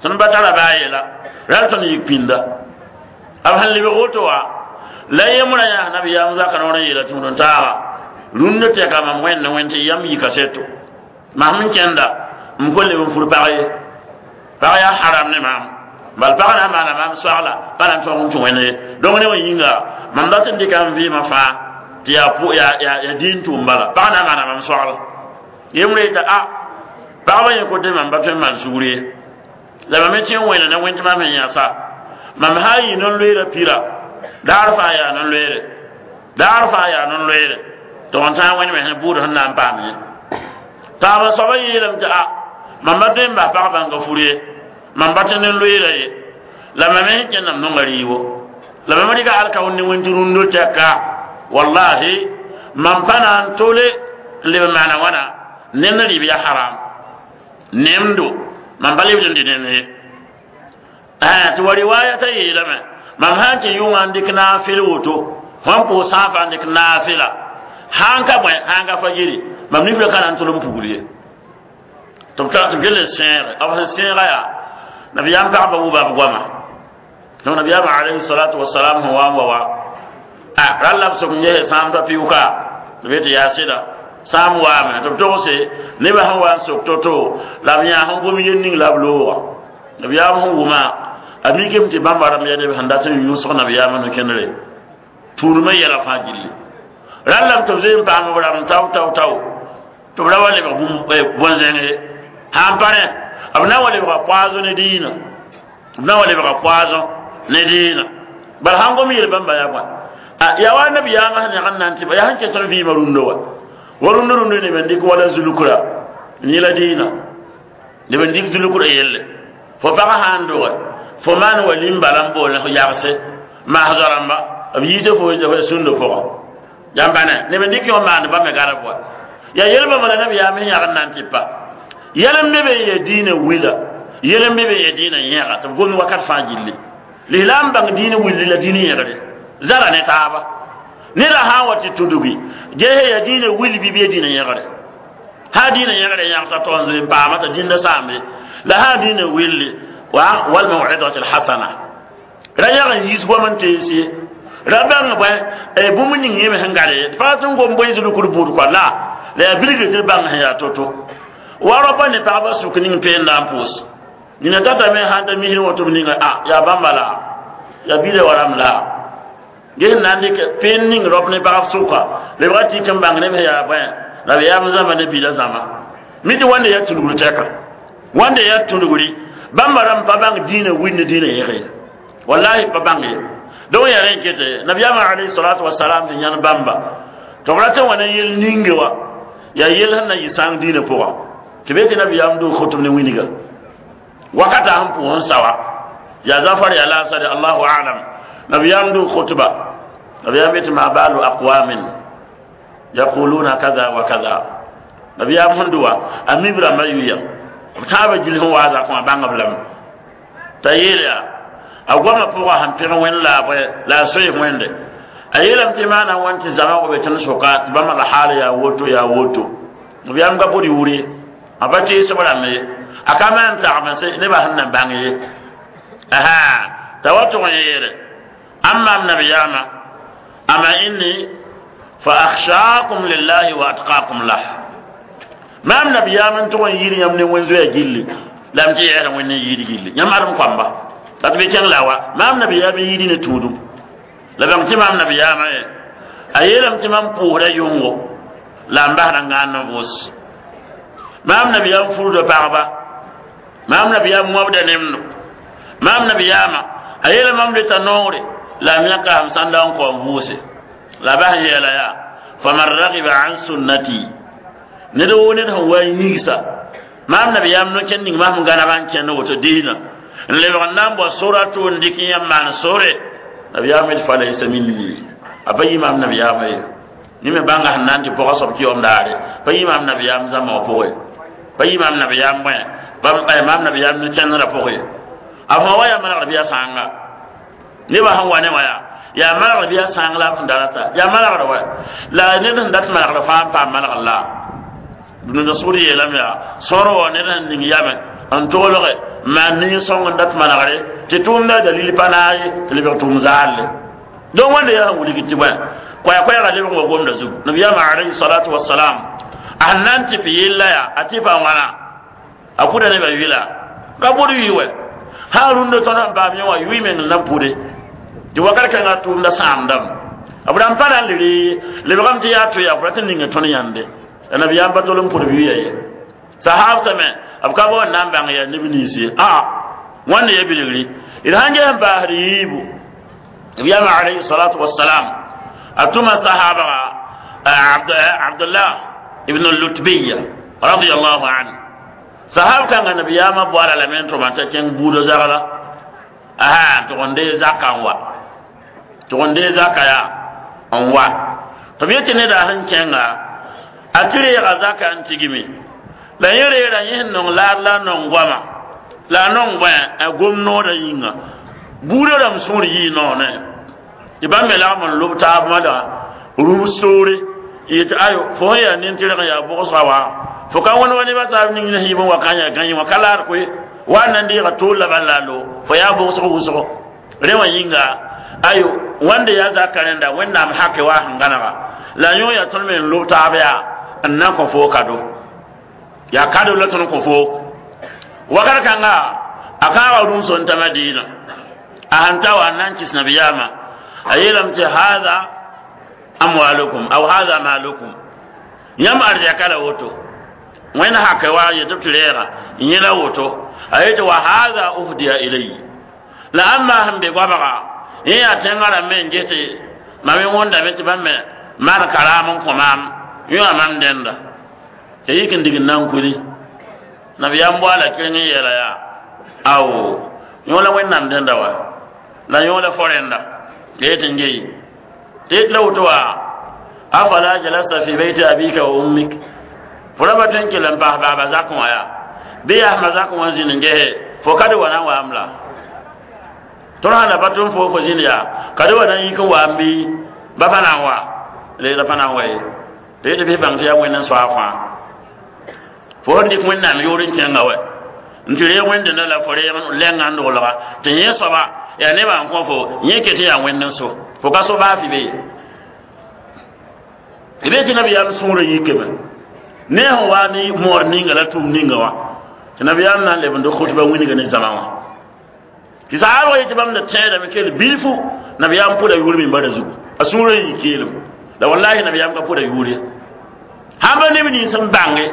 tõnd pa tara baa yɛla ral tõnd yik pĩnda b sẽn lebg woto wa la yembrã yaa nabiyaam zaka noor n yeela tũud n taaga rũndã tɛka mam wẽnd wẽnd tɩ yam yika seto masm n kẽnda m ko leb n fur pag ye pag yaa haram ne maam bal pag na n maana maam soagla pa na n tõog n tũ wẽnd ye donc ne wã yĩnga mam dat n dɩka n vɩɩmã fãa tɩ yaa yaa diin tʋʋm bala pag na n maana mam soagla yembrã yeta a pagba yẽ kote mam pa tõe n maan sugr ye la mam tɩ n wẽna ne wẽnd tɩ mam sẽn yãsa mam sã n yɩ non-loeera pira daar fãa yaa non-loeere daar fãa yaa non-loeere tɩ wãn tãag wẽnd me sẽn buud sẽn na n paam ye taaba soaba yeelame tɩ a mam pa tõe n bas pag bãnga fur ye mam pa tẽ nen-loeera ye la mam me sẽn kẽndame nonga rɩɩbo la mam rɩka alkaoor ne wẽnd tɩ rũndo tɛka wallahi mam pa na n tole n leb n maana wãna nend rɩɩb yaa haram nemdo mam pa lebd n dɩ nend ye tɩ wa riwaya t'a yeelame mam sã n tɩ yʋngã n dɩk naafɩl woto fõn pʋʋs sãafa n dɩk naafɩla sãn ka bõe sãn ka fa yiri mam nifra ka na n tol n pugl ye tɩ b tɩ b gel n sẽege b sẽn sẽega yaa nabiyaam pagba wʋba b goama donc nabiyaam alayhi salatu wasalam sẽn wa n wa wa a rall la b sok n yese sãam t'a pɩʋka tɩ b yetɩ yaa sɩda sãam waame tɩ b togse nebã sẽn wa n sok to-to la b yãas n gom yel ning la b looga nabiyaam sẽn wʋma a mikame tɩ bãmba rãmb yaa neb sẽn dat n yũsg nabiyaamã no-kẽndre tũudmã yɛla fãa gilli rallame tɩ b zoe n paam b rãmb tao tao tao tɩ b ra wa lebg bõn-zẽng ye sãn pa rẽ b na wa lebga poazo ne diinã b na wa lebga poazo ne diinã bala sãn gom yel bãmba yaa bõe yaa wa nabiyaamã sẽn yãg n na n tɩ ba yaa sẽn ket n vɩɩmã rũndã wa wa rũndã rũndã neb n dɩk wala zulukra n yẽla diinã neb n dɩk zulukra yelle fo pagã sã n doge fo maan wa lim-bala n bool f yagse maas rãmba b yiisa fo sũndã pʋgã yãmba ne neb n dɩk yõ maand ba me garb wa yaa yel-bãmba la nabiyaam sẽn yãg n na n tɩ pa yɛl n be be n yaa diinã wila yɛl n be be n yaa diinã yẽga tɩ b gomd wakat fãa gilli lislaam bãng diinã willi la diinã yẽgre zara ne taaba neda sã n wa tɩ tudgi ges yaa diinã wil bɩ bɩ ya diinã yẽgre sã diinã yẽgre yãgta tɩ n zoe n paama t'a dĩnda sãambe la sã diinã willi wa wal maw'idati alhasana ra yãg n yiis goam n tees ye ra bãng bõe bũmb ning yẽ me sẽn gade ye pa tɩ n gom bõe zulukd buud kɔa la la yaa bilgr tɩ d bãng sẽn yaa to-to wa raopa ne pagba sʋk ning peenda n pʋʋs nina tatame sãn ta misr wã tɩ b ninga a yaa bãmba la yaa bila wa rãmb la ges n na n dɩk peen ning raop ne pagb sʋka lebga tɩk n bãng neb sẽn yaa bõe la b yaam zãma ne bila zãma mi tɩ wãnde yaa tũlgr tɛka wãnde yaa tũlgri bãmba rãmb pa bãng diinã wil ne diinã yẽge wallahi pa bãng ye donc yaa rẽ n kete nabiyaamã alayhi salatu wasalam tɩ yãn bãmba tɩ b rat n wa ne yel ninge wa yaa yel sẽn na yɩ sãng diinã pʋga tɩ be tɩ nabiyaam doog khotb ne wĩnga wakata sẽn pʋʋs n sawa yaa zafar yaa laasare allahu alam nabiyaam doog khotba nabiyaam yetɩ ma balu aqwamin yaquluna kaza wa kaza nabiyaam sẽn dʋwa a mib rãmbã yuya b tãabã gil sẽn waa zakẽ wã bãng b lame t'a yeel yaa a goamã pʋgã sẽn pẽg wẽnd la la a soe wẽnde a yeelame tɩ maana wãn tɩ zãma wa be tõnd sʋka tɩ bãmba la haal yaa woto yaa woto nabiyaam ka bʋd yʋʋr ye a pa teesb rãmb ye a ka maan tagmse nebã sẽn na bãng ye aha t'a wa tʋg n yeere ãmb maam nabiyaamã ama inni fa akhshakum lillahi wa atqakum lah maam nabiyaam n tʋg n yir yãmb ne wẽn-zoɛɛ gilli la m tɩ yɛɛsã wẽnd n yiid gilli yãmb adem koamba la tɩ be kẽng la wa maam nabiyaam n yiidi ne tũudum la bãng tɩ maam nabiyaamã ye a yeelame tɩ mam pʋʋsda yʋngo la n basda ngand n vʋʋs maam nabiyaam furda pagba maam nabiyaam wãbda nemdo maam nabiyaamã a yeela mam leta noore la m yãka sãm sãnda n kao n vʋʋse la bas n yeela yaa faman ragiba an sunnati ned woo ned sẽn wa n yĩgsa maam nabiyaam no-kẽnd ning masem gãnaba n kẽnd woto diinã N lebg n na n bao soratu n dɩk yã n maan sore nabiyaam yet fa laysa minni a pa yɩ maam nabiyaamã ye yẽ me bãnga sẽn na n tɩ pʋga soab kɩ daare pa yɩ maam nabiyaam zãma wã pʋgẽ pa yɩ maam nabiyaam bõe pa maam nabiyaam ne kẽndrã pʋgẽ a fõ wa yaa manegr bɩ a sãanga nebã sẽn wa ne wã yaa yaa manegr bɩ a sãang la b sẽn da rata yaa manegr wa la ned sẽn dat manegr fãa n paam manegr la dũnida sʋgr yeelame yaa sõor wa ned sẽn ning yame n tolge n maan nin-sõng n dat manegre tɩ tʋʋmda dalil pa naag ye tɩ lebg tʋʋm zaalle donc wẽnda yaa sẽn wilg tɩ bõe koɛɛ-koɛɛga lebg n wa gomda zugu nabiyaamã alayhi salatu wasalam a sẽn na n tɩ p yella yaa a tɩ pa wãna a pʋda nebã yʋla ka bʋd yʋɩ wɛ sã rũndã tõnd sẽn paam yẽ wã yʋɩ meng n na n pʋde tɩ wakat kãngã tʋʋmda sãamdame b rãmb pa na n le ree lebgame tɩ yaa to yaa fo rat n ninga tõnd yãnde la nabiyaam pa tol n pʋd b yʋya ye sahabsame b ka bo n na n bãng yaa neb nins ye aa wãnda ya bilgri d sãn ges n paasd yiibu nabiyaamã alayhi salatu wasalam a tʋma sahabga Abdullah ibn Lutbiya radiyallahu anhu sahab kãngã nabiyaamã boala lame n tʋma t'a kẽng buudã zagla aa tɩg n dee zaka n wa tɩg n dee zaka yaa n wa tɩ b yetɩ neda sẽn kẽnga a tɩ reega zaka n tigme la yẽ reera yẽ sẽn nong laad la a nong goama la a nong bõe a gom noodã yĩnga buudã rãmb sũur yɩɩ noonẽ tɩ bãmb me lagm n lob taab mada rũms toore yetɩ ayo fo sẽn yaa nin-tɩrg n yaa bʋgsga wa fo ka wẽnd wa nebã taab ning ne sẽn yib n wa ka n yaa gãe wã ka laad koe wa n na n deega tool la bal la a lo fo yaa bʋgsg wʋsgo rẽ wã yĩnga ayo wãnda yaa zaka rẽnda wẽnnaam hake wa sẽn gãnega la yõ yaa tõnd me n lob taab yaa n na n kõ foo kado yaa kado la tõnd kõ foo wakat kãnga a kãaga rũmso n ta Madiina a sẽn ta wa n na n kɩs nabiyaamã a yeelame tɩ haada amwalukum aw haada malukum yãmb arzɛka la woto wẽnd hake wa yetɩ b tɩ reega yẽ la woto a yetɩ wa haada uhdiya ilay la ãmba sẽn be goabga yẽ yaa tẽngã rãmb me n ges tɩ mam wõndame tɩ bãmb me maan karaam n kõ maam yõ mam dẽnda tɩ yik n dig n na n kuli nabiyaam boala kɩreng n yeela yaa awo yõ la wẽnnaam dẽnda wa la yõ la fo rẽnda tɩ yetɩ n geyi tɩ yet la woto wa afala jalasta fi bayti abika wa ummik fo ra pa tõe n kell n paas baaba zakẽ wã yaa bɩ yaasmã zakẽ wã zĩnd n gese fo ka d wa na n waam la tõnd sã na pa tʋm fo fo zĩnd yaa ka d wa na n yik n waam bɩ ba pa na n wa leera pa na n wa ye tɩ yetɩ bɩ bãng tɩ yaa wẽnd n soa fãa fo sẽn dɩk wẽnnaam yʋʋr n kẽnga wɛ n tɩ reeg wẽnd-dẽndã la fo reeg lɛngã n doglga tɩ yẽ soaba yaa nebã n kõ fo yẽ ket yaa wẽnd n so fo ka so baa fɩ be ye d be tɩ nabiyaam sũurã yikame ne sẽn wa ne moor ninga la tʋʋm ninga wã tɩ nabiyaam na n leb n dɩk khutba wĩnga ne zãma wã tɩ saabg yetɩ bãmb da tẽedame kell bilfu nabiyaam pʋda yʋʋr mimbara zugu a sũurã n yik keelem la wallahi nabiyaam ka pʋda yʋʋr ye sãn pa neb nins n bãnge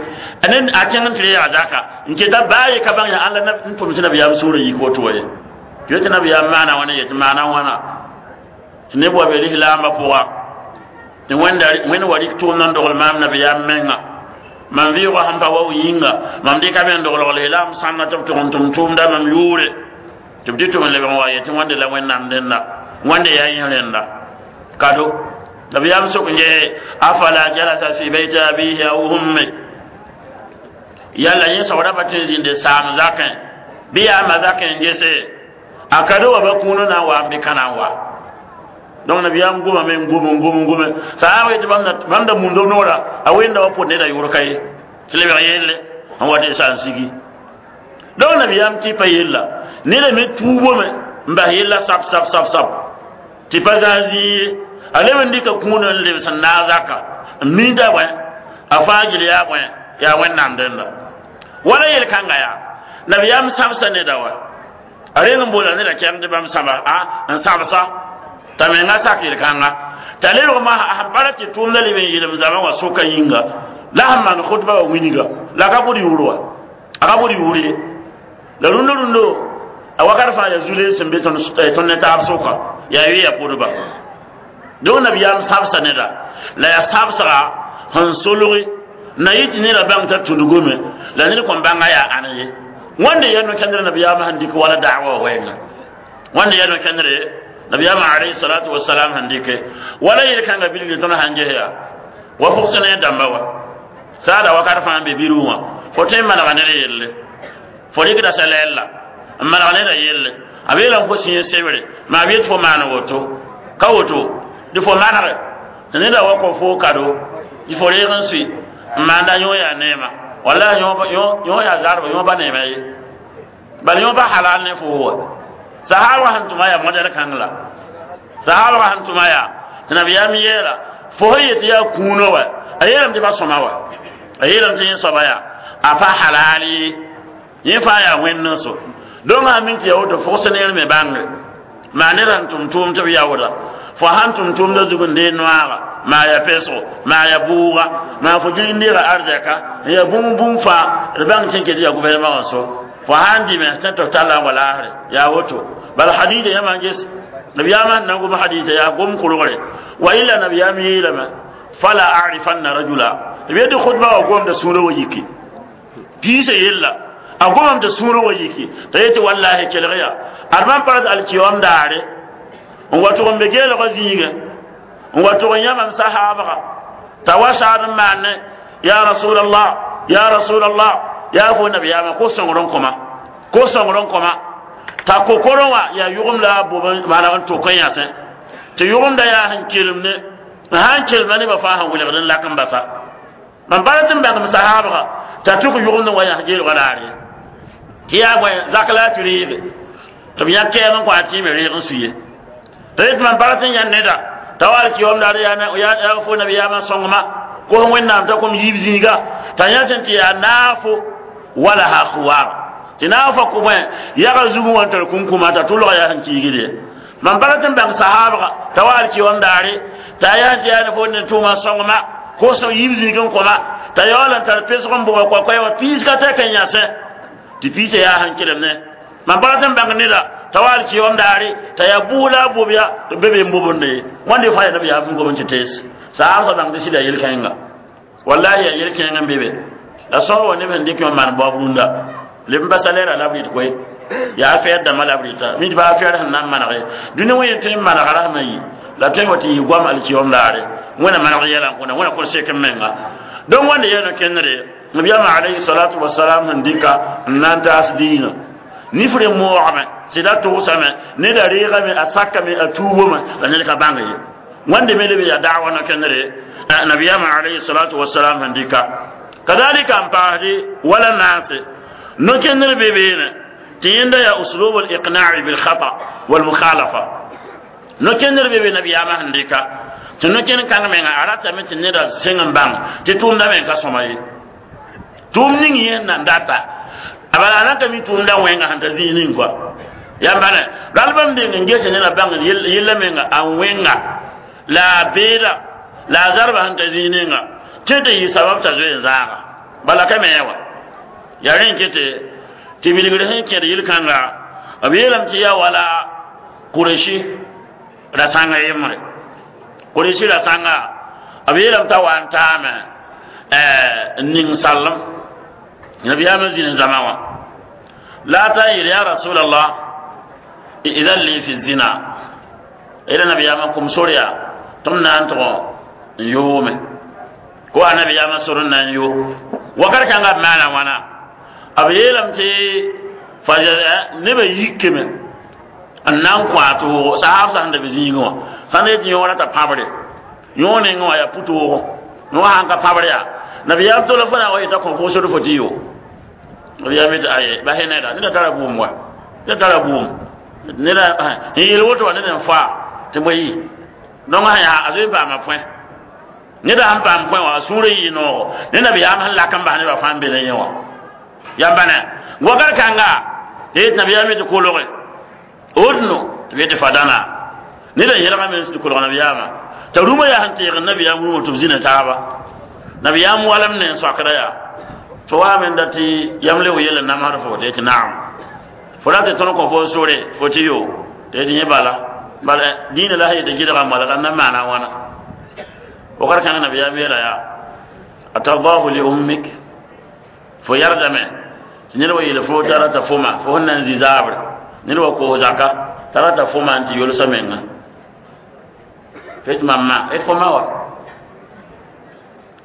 a kẽng n tɩ reega zaka n keta baa ye ka bãng yaa ãn la n tʋm tɩ nabiyaam sũurã yik woto wa ye tɩ yetɩ nabiyaam maana wãna yetɩ maana wãna tɩ neb wa be lislaambã pʋga tɩ wẽnd wa rɩk tʋʋmd n dogl maam nabiyaam menga mam vɩʋgã sẽn pa wa yĩnga mam dɩka me n doglg lislaam sãnna tɩ b tʋg n tʋm tʋʋmda mam yʋʋre tɩ b tɩ tʋm n lebg n wa yetɩ wãnde la wẽnnaam dẽnda wãnde yaa yẽ rẽnda kado nabiyaam sok n gese afala jalasa fi bayti abihi aw ummi yalla yẽ soabra pa tõe n zĩnde saam zakẽ bɩ yaa ma zakẽ n gese a kado wa ba kũunã na n wa n bɩ ka na n wa donc nabiyaam gomame n gom n gom n gome saab yetɩ bãmb da mund b noora a wẽnda wa pʋd neda yʋʋr ka ye tɩ lebg yelle n wa tɩ sa n sigi donc nabiyaam tɩ pa yella neda me tuubome n bas yella sab sab sab sab tɩ pa zãas zĩig ye a leb n dɩka kũunã n lebs n naag zaka n minda bõe a fãa gil yaa bõe yaa wẽnnaam dẽnda wala yel-kãnga yaa nabiyaam sãbsa neda wa a reng n boola neda kɛng tɩ bãmb sãba a n sãbsa t'a menga sak yel-kãnga t'a lebg masã sẽn pa ra tɩ tʋʋmda leb n yeelem zama wã sʋka yĩnga la sẽn maan khutba wã wĩnga la a ka bʋd yʋʋr wa a ka bʋd yʋʋr ye la rũndã rũndã a wakat fãa yaa zu-lees sẽn be tõnd ne taab sʋka yaa yʋ ya pʋdba donc nabiyaam sãbsa neda la yaa sãbsga sẽn solgi na yɩ tɩ neda bãng t'a tudgame la ned kõn bãnga yaa ãn ye Wẽnde yaa no-kẽndr nabiyaamã sẽn dɩk wala da'wa wã wɛɛngã. Wẽnde yaa no-kẽndre nabiyaamã alayhi salatu wasalam sẽn dɩke wala yel-kãngã bilgr tõnd sãn ges yaa wa fʋgs ne dãmba wa saada wakat fãa n be birg wã fo tõe n manega ned yelle fo rɩkda salɛɛl la n maneg neda yelle a beelame fo sĩig sebre maa b yet fo maan woto ka woto tɩ fo manege tɩ neda wa kõ fo kado tɩ fo reeg n sʋɩ n maanda yõ yaa neema wallahi yõ yaa zarba yõ ba neema ye bal yõ pa halal ne fo wa sahaba sẽn tʋma yaa modɛl kãng la sahaba sẽn tʋma yaa tɩ nabiyaam yeela fo sẽn yet yaa kũunã wa a yeelame tɩ pa sõma wa a yeelame tɩ yẽ soaba yaa a pa halal ye yẽ fãa yaa wẽnd so donc sã min tɩ yaa woto fʋgs neer me bãngre maa ned sẽn tʋm tʋʋm tɩ b yaooda fo sãn tʋm tʋʋmda zug n dee noaaga maa ya pesgo maa ya bʋʋga maa fo gilg n deega arzɛka n ya bũmb bũmb fãa d bãng tẽ ket yaa gouvernement wã so fo sãn dɩme tẽ tɩ f talla n wa laasre yaa woto bala hadida yãmã n ges nabiyaamã sẽn na n gom hadida yaa gom kolgre wa illa nabiyaam yeelame fala arifanna rajula b yetɩ khutba wa gomda sũurã wa yiki piisã yella a gomame tɩ sũurã wa yiki t'a yetɩ wallahi kelg ya ad mam pa alkiyom daare n wa tʋg n be geelgã zĩigẽ n wa tʋg n yã mam sahaabga t'a wa saad n maane ya rasulallah ya rasulallah yaa fo nabiyaamã ko sõngr n kõma ko sõngr n kõma t'a kokorẽ wã yaa yʋgemd la a bob maana n tʋk n yãsẽ tɩ yʋgemda yaa sẽn kelem ne n sãn kelma nebã fãa sẽn welgd n lak n basa mam bara tɩ n bãngm sahaabga t'a tʋk yʋgemd n wa yãs geelgã laar ye tɩ yaa bõe zak la a tɩ reege tɩ b yã kɛɛm n kõ a tɩɩme reeg n su ye t'a yet mam bara tɩ n yã neda t'a wa alkiyom daar yaa fo nabiyaamã sõngma kos wẽnnaam t'a kom yiib zĩiga t'a yã sẽn tɩ yaa naafo wala ha khuwar tɩ naafa kʋ bõe yaga zugẽ wã n tar kũnkũmã t'a tʋlga yaa sẽn kiigd ye mam bara tɩ n bãng sahaabga t'a wa alkiyom daare t'a yaa tɩ yaa ne fo ne tʋʋmã sõngma kos yiib zĩig n kõma t'a yaool n tar pesg n bʋga koakoɛ wã piis ka tɛk n yãsẽ tɩ piisã yaa sẽn kelem ne mam bara tɩ n bãng neda t'a wa alkiyom daare t'a yaa bʋʋla a bob ya tɩ be be n bobende ye wãnde fãa yaa nabiyaam sẽn gom n tɩ tees saab sa bãng tɩ sɩda yel-kẽnga wallahi yaa yel-kẽng n be be la sõor wa neb sẽn dɩk n maan baoab rũndã leb n basa lɛɛra la b rɩt koe yaa fɛɛr dãmbã la b rɩta mi tɩ baa fɛɛr sẽn na n maneg ye dũni wẽ tõe n manega rasmã yi la tõe n wa tɩ yɩ goam alkiyom daare wẽna maneg yɛla n kõna wẽna kõn sek n menga donc wãnda yaa no-kẽndre nabiyaamã alayhi salatu wasalam sẽn dɩka n na n taas diinã nifre moogame sɩda tʋgsame neda reegame a sakame a tuubome la ned ka bãng ye wãnde me lebe yaa da'wa no-kẽndre nabiyaamã alayhi salatu wasalam sẽn dɩka kadalika n paasdi wala naase no-kẽndr be beene tɩ yẽnda yaa uslub al-iqna'i bil khata wal mukhalafa no-kẽndr be be nabiyaamã sẽn dɩka tɩ no-kẽnd kãng menga a ratame tɩ neda sẽng n bãng tɩ tʋʋmda meng ka sõma ye tʋʋm ning yẽ nan data a bala a nan ka mi tʋʋmda wẽnga sẽn ta zĩig ning kɔa yãmb bãne ral bãmb deng n ges neda bãng yella menga a wẽnga la a beeda la a zarba sẽn ta zĩig ninga tɩ tɩ yɩ sabab t'a zoe n zaaga bala ka me wa yaa rẽ n kete tɩ bilgr sẽn kẽd yel-kãnga b yeelame tɩ yaa wala kureshi rasãnga yembre kureshi rasãnga b yeelame t'a wa n taame n ning sallem nabiyaamã zĩn zãma wã la a ta n yeel ya rasulallah idan li fi zina ila nabiyaamã kum sor yaa tɩ m na n tʋg n yoome ko a nabiyaamã sor n na n yo wakat kãngã b maana wãna b yeelame tɩ fa nebã yikame n na n kõ a toogo sahab sãn da be zĩigẽ wã sãn yetɩ yõora t'a pãbre yõor nengẽ wã yaa pu-toogo yõ sãn ka pãbr yaa nabiyaam tola fo na wa yeta kõ fo sor fo tɩ yo nabiyaam yetɩ aye bas neda neda tara bʋʋm wa neda tara bʋʋm neda n yeel woto wa ned n faa tɩ bõe yɩ donc sã yaa a zoe n paama põe neda sãn paam põe wã a sũurã yɩ noogo ne nabiyaam sẽn lak n bas nebã fãa n be ne yẽ wã yãmba ne wakat kãnga tɩ yetɩ nabiyaam yetɩ kolge wotno tɩ b yetɩ fadana neda yẽlgame n tɩ kolg nabiyaamã t'a rũmã yaa sẽn teeg nabiyaam rũmã tɩ b zĩna taaba nabiyaam walem ne n soakda yaa fo waame n dat tɩ yãmb le yell n namsd fo tɩ yetɩ naam fo ra tɩ tõnd kõ fo n sore fo tɩ yo tɩ yetɩ yẽ bala bala dĩinã la sã yetɩ gɩdga moalga n na maana a wãna wakat kãng nabiyaam yeela yaa atardahu li ummik fo yardame Tɩ ned wa yeel fo t'a rata foma fo sẽn na n zĩ zaabre ned wa koos zaka t'a rata foma n tɩ yolsa menga tɩ mam ma d fo ma wa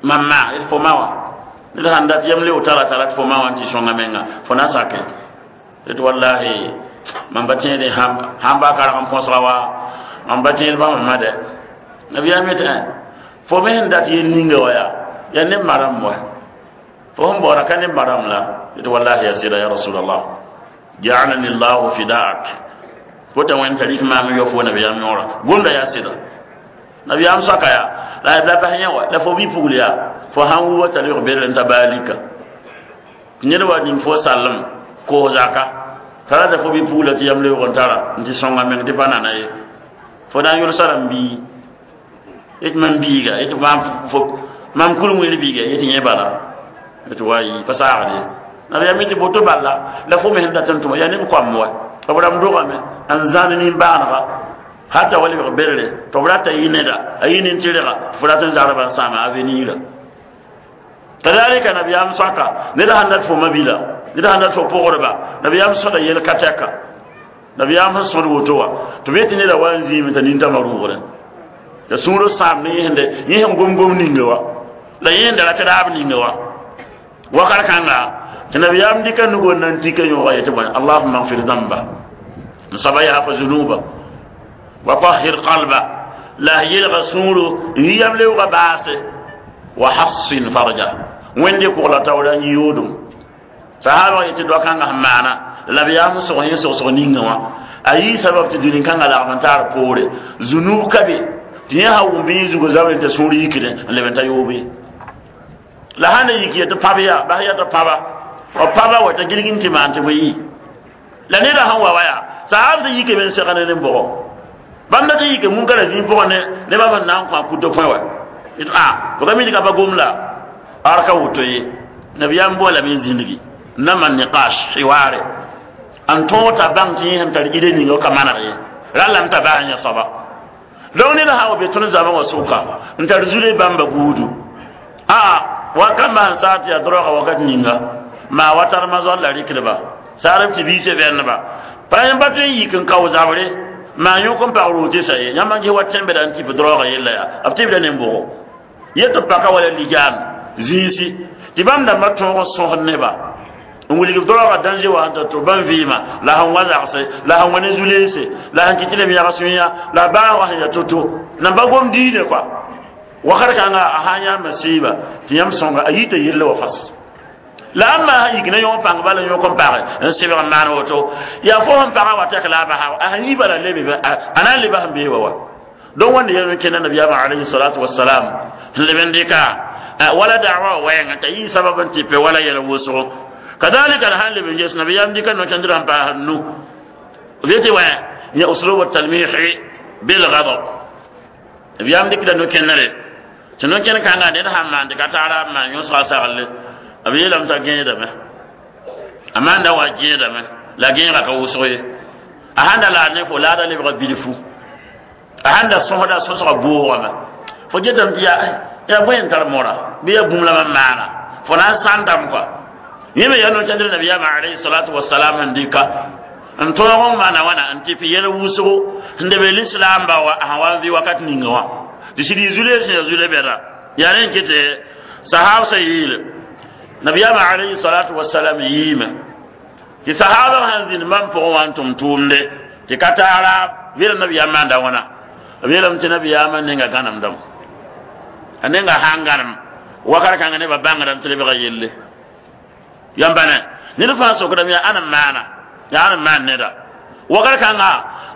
mam ma d fo ma wa ned sãn dat yam leo tara t'a rat fo ma wa n tɩ sõnga menga fo na sake tɩ wallahi mam ba tẽede sãn ba karg n põsga wa mam ba tẽed bãmb ma dɛ nabiyaam yetɩ fo me sẽn dat yel ninga wa yaa yaa neb maram wa fo sẽn baoora ka neb maram la tɩ wallahi ya sɩda ya rasulallah ja'alani llahu fidaak fo t'a wẽnd t'a rɩk maam n yɔ fo nabiyaam yõora gomda yaa sɩda nabiyaam soaka yaa la la bas yẽ wa la fo bi-pugl yaa fo sãn wuba t'a lebg berle n ta baalika ned wa ning fo sallem koos zaka t'a rata fo bi-pugla tɩ yam leoog n tara n tɩ sõnga meng tɩ pa nana ye fo na n yʋlsa rãmb bii yetɩ mam biiga yetɩ maam fo mam kul-wẽer biiga yetɩ yẽ bala tɩ wa yɩ pa saagd ye nabiyaam yetɩ boto bala la fo me sẽn dat n tʋma yaa neb koam wa b rãmb dogame n zãn nin-bãanega hata wa lebg berre tɩ b rata yɩ neda a yɩ nin-tɩrga tɩ fo rat n zagrba n sãama avenir kadalika nabiyaam soaka ned sãn dat fo mabila ned sãn dat fo pʋgdba nabiyaam sõda yel ka tɛka nabiyaam sẽn sõd woto wa tɩ b yetɩ neda wa n zĩime t'a nintãmã rʋʋgrẽ la sũurã sãam ne yẽsende yẽ sẽn gom-gom ninga wa la yẽsenda rat raab ninga wa wakat kãnga tɩ nabiyaam dɩka nugo n na n tika yõoga yetɩ bõe allahuma gfir dãmba n soaba yaafa zunuba wa tahir qalba la yelga sũuro n yam leoogã baase wa hassin farja wẽnde kʋgla taoora n yoodum sahaba yetɩ doa kãngã sẽn maana la nabiyaam sog yẽ sogsg ninga wã a yii sabab tɩ dũni-kãngã lagm n taar poore zunub ka be tɩ yẽ sã wʋm bɩ yẽ zugu zabre t'a sũur yikdẽ n leb n ta yoobe la sãn na yik ya tɩ pãb yaa bas yaa tɩ pãba b pãba wa t'a gilg n tɩ maan tɩ bõe yɩ la neda sẽn wa wa yaa sahab sẽn yike me n segd ne bʋgɔ bãmb dat n yike munkara zĩig pʋgẽ ne ne bãmb n na n kõ a kuto põe wa a fo ka mi tɩ ka pa gom la ar ka woto ye nabiyaam boolame n zĩndgi n na maan niqash hiware n tõog t'a bãng tɩ yẽ sẽn tar ide ninga ka maneg ye rallame t'a bas n yẽ soaba donc ned sã wa be tõnd zãma wã sʋka n tar zule bãmba buudu aa wakãmbã sẽn saat yaa droga wakat ninga maa wa tarmã zoal la rɩkdba saarb tɩ biisã vẽneba pa yẽmb pa tõe n yik n kao zabre maa yõk n pag rootɩ sa ye yãmb n ges wa tẽmbda n tɩp droogã yella yaa b tɩbda nen-bʋgo yet tɩ paka wala lijaam zĩisi tɩ bãmb dãmbã tõog n sõsd neba n wilg droogã danger wa sẽn ta tʋ bãmb vɩɩmã la sẽn wa zagse la sẽn wa ne zu-leese la sẽn kɩ tɩ lem yags yã la baa wa sẽn ya to-to namba gom diine kɔa wakat kãnga a sã n yãamba sɩɩba tɩ yãmb sõnga a yita yelle wa fas la ãmba sã yik ne yõ pãng bala yõk n page n sebg n maan woto yaa fo sẽn pagã wa tɛk la a basa a sẽn yi bala lebe a na n leba sẽn bee wa wa donc wãnda yɛl n kẽnda nabiyaamã alayhi salatu wasalam n leb n dɩka wala da'wa wɛɛngã t'a yɩ sabab n tɩ pe wala yɛl wʋsgo kadalika la sãn leb n ges nabiyaam dɩka no-kẽndrã n paas nu b yetɩ wã ya uslub talmih bilghadab nabiyaam dɩkda no-kẽndre tɩ no-kẽnd kãngã ned sãn maan tɩ ka taara n maan yõsga saglle b yeelame t'a gẽedame a maanda wa gẽedame la gẽegã ka wʋsg ye a sãn da laad ne fo laada lebga bilfu a sãn da sõsda sõsga boogame fo getame tɩ yaa yaa bõe n tar mora bɩ yaa bũmb la mam maana fo na n sãndame kɔa yẽ me yaa no-kẽndr nabiyaamã alayhi salatu wasalam n dɩka n tõog n maana wãna n tɩ yɛl wʋsgo n leb lislaamba wa sẽn wa n vɩ wakat ninga wã tɩ sɩd yɩ zule sẽn yaa zule bɛda yaa rẽ n kɩtɩ sahab sã yeele nabiyaamã alayhi salatu wasalam yiime tɩ sahaba sãn zĩnd bãmb pʋgẽ wã n tʋm tʋʋmde tɩ ka taara yeela nabiyaam maanda wãna b yeelame tɩ nabiyaamã nenga gãnemdame a nenga sã n gãnem wakat kãngã nebã bãngdame tɩ lebga yelle yãmba ne ned fãa sokdame yaa ãn n maana yaa ãn n maan neda wakat kãnga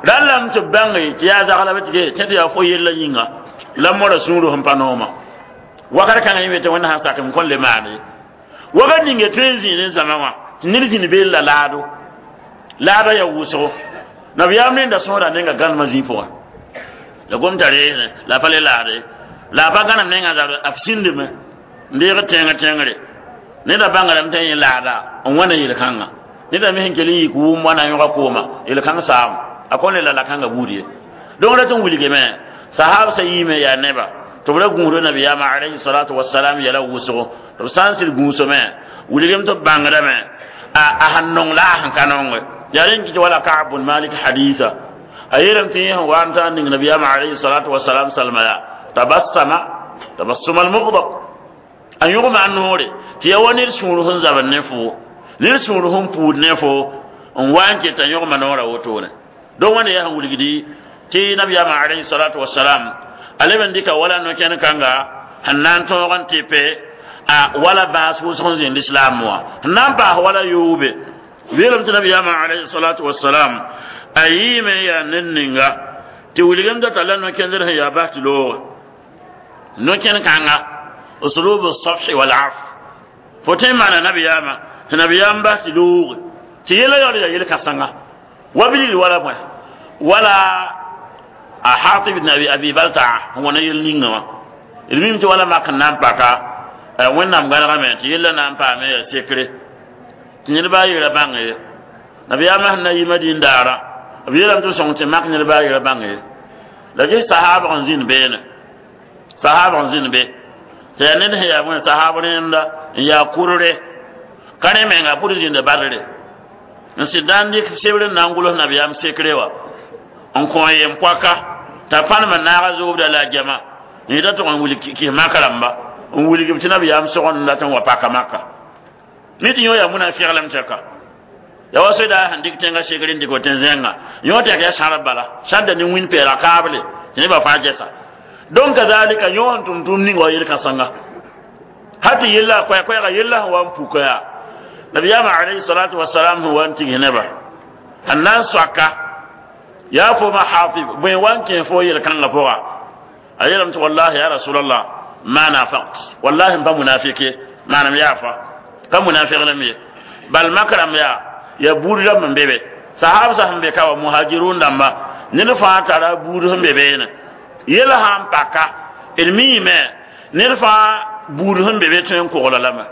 rallame tɩ b bãnge tɩ yaa zagla b tɩ tẽ tɩ yaa fo yella yĩnga la mora sũurã sẽn pa nooma wakat kãngã yẽ tɩ wẽnd sãn sak m kõn le maan ye wakat ninga tõe n zĩig ne zãma wã tɩ ned zĩnd beel la laado laada yaa wʋsgo nabiyaam rẽnda sõsda nenga gãnemã zĩig pʋgã la gom t'a reesẽ la pa le laade la a pa gãnem nengã zabr b sĩndme n deeg tẽngr tẽngre neda bãngrame t'a yẽ laada n wãna yel-kãngã neda me sẽn kell n yik wʋm wãna yõga kooma yel-kãng saam a kõn le la la-kãngã buud ye donc rat n wilgame sahab sa yiime yaa neba tɩ b ra gũusda nabiyaamã alayhi salatu wasalam yɛla wʋsgo tɩ b sã n sɩd gũusame wilgem tɩ b bãngdame A sẽn nong la a sẽn ka nonge yaa rẽn kɩt wala Ka'b bn Malik hadisa a yeelame tɩ yẽ sẽn wa n ta n ning nabiyaamã alayhi salatu wasalam salma yaa tabassama tabassum almugdab a yõgma a noore tɩ ya wa ned sũur sẽn zabd ne fo ned sũur sẽn puud ne fo n wa n ket a yõgma noorã wotone donc wãnda yaa sẽn wilgdi tɩ nabiyaamã alayhi salatu wasalam a leb n dɩka wala no-kẽn kãnga sẽn na n tõog n tɩ pe a wala bãas wʋsg n zĩnd islam wã sẽn na n paas wala yoobe weelame tɩ nabiyaamã alayhi salatu wasalam a yɩɩme n yaa ned ninga tɩ wilgem data la no-kẽndr sẽn yaa bas tɩ looge no-kẽn kãnga uslub الصفح والعفو fo tõe n maana nabiyaamã tɩ nabiyaam bas tɩ looge tɩ yɛla yaool yaa yel-kãsenga wa bilil wala bõe wala a Hatib ibn Abi Abi Baltaa sẽn wa na yel ninga wã d mim tɩ wala mak n na n paka Wẽnnaam gãnegame tɩ yella na n paame yaa sekre tɩ ned a yi ra bãng ye nabiyaamã sẽn na yi Madin daara b yeelame tɩ b sõng tɩ mak ned a yi ra bãng ye la ges sahaabg n zĩnd beene sahaabg n zĩnd be tɩ yaa ned sẽn yaa bõe sahaab rẽnda n yaa kurre ka rẽ menga pʋd zĩnda badre n sɩd na n dɩk sebr n na n gʋls nabiyaam sekre wã n kõ yem poaka t'a pãnem n naaga zoobda la a jama n yeta tʋg n wilg kis maka rãmba n wilg b tɩ nabiyaam sog n dat n wa paka maka mi tɩ yõ yaa munafiglem tɛka ya wa soda sẽn dɩk tẽngã sekr n dɩk tẽ zẽnga yõ tɛk yaa sãrb bala sãnda ne wĩn peela kaable tɩ nebã fãa gɛsa donc kazalika yõ n tʋm tʋʋm ning wa yel-kãsenga hal tɩ yella koɛɛ-koɛɛga yella sẽn wa n puka yaa nabiyaamã alayhi salatu wasalam sẽn wa n tigis nebã sẽn na n soaka yaa fo ma Hatib bõe wa n kẽ fo yel-kãngã pʋga a yeelame tɩ wallahi ya rasulallah ma nafaqt wallahi n pa munafik ye manem yaa fa ka munafiglem ye bal mak rãmb yaa yaa buud rãmb n be be sahab sã sẽn be ka wa muhajirun dãmba ned fãa tara buud sẽn be beene yel sã n paka d miime ned fãa buud sẽn be be tõe n kogla lame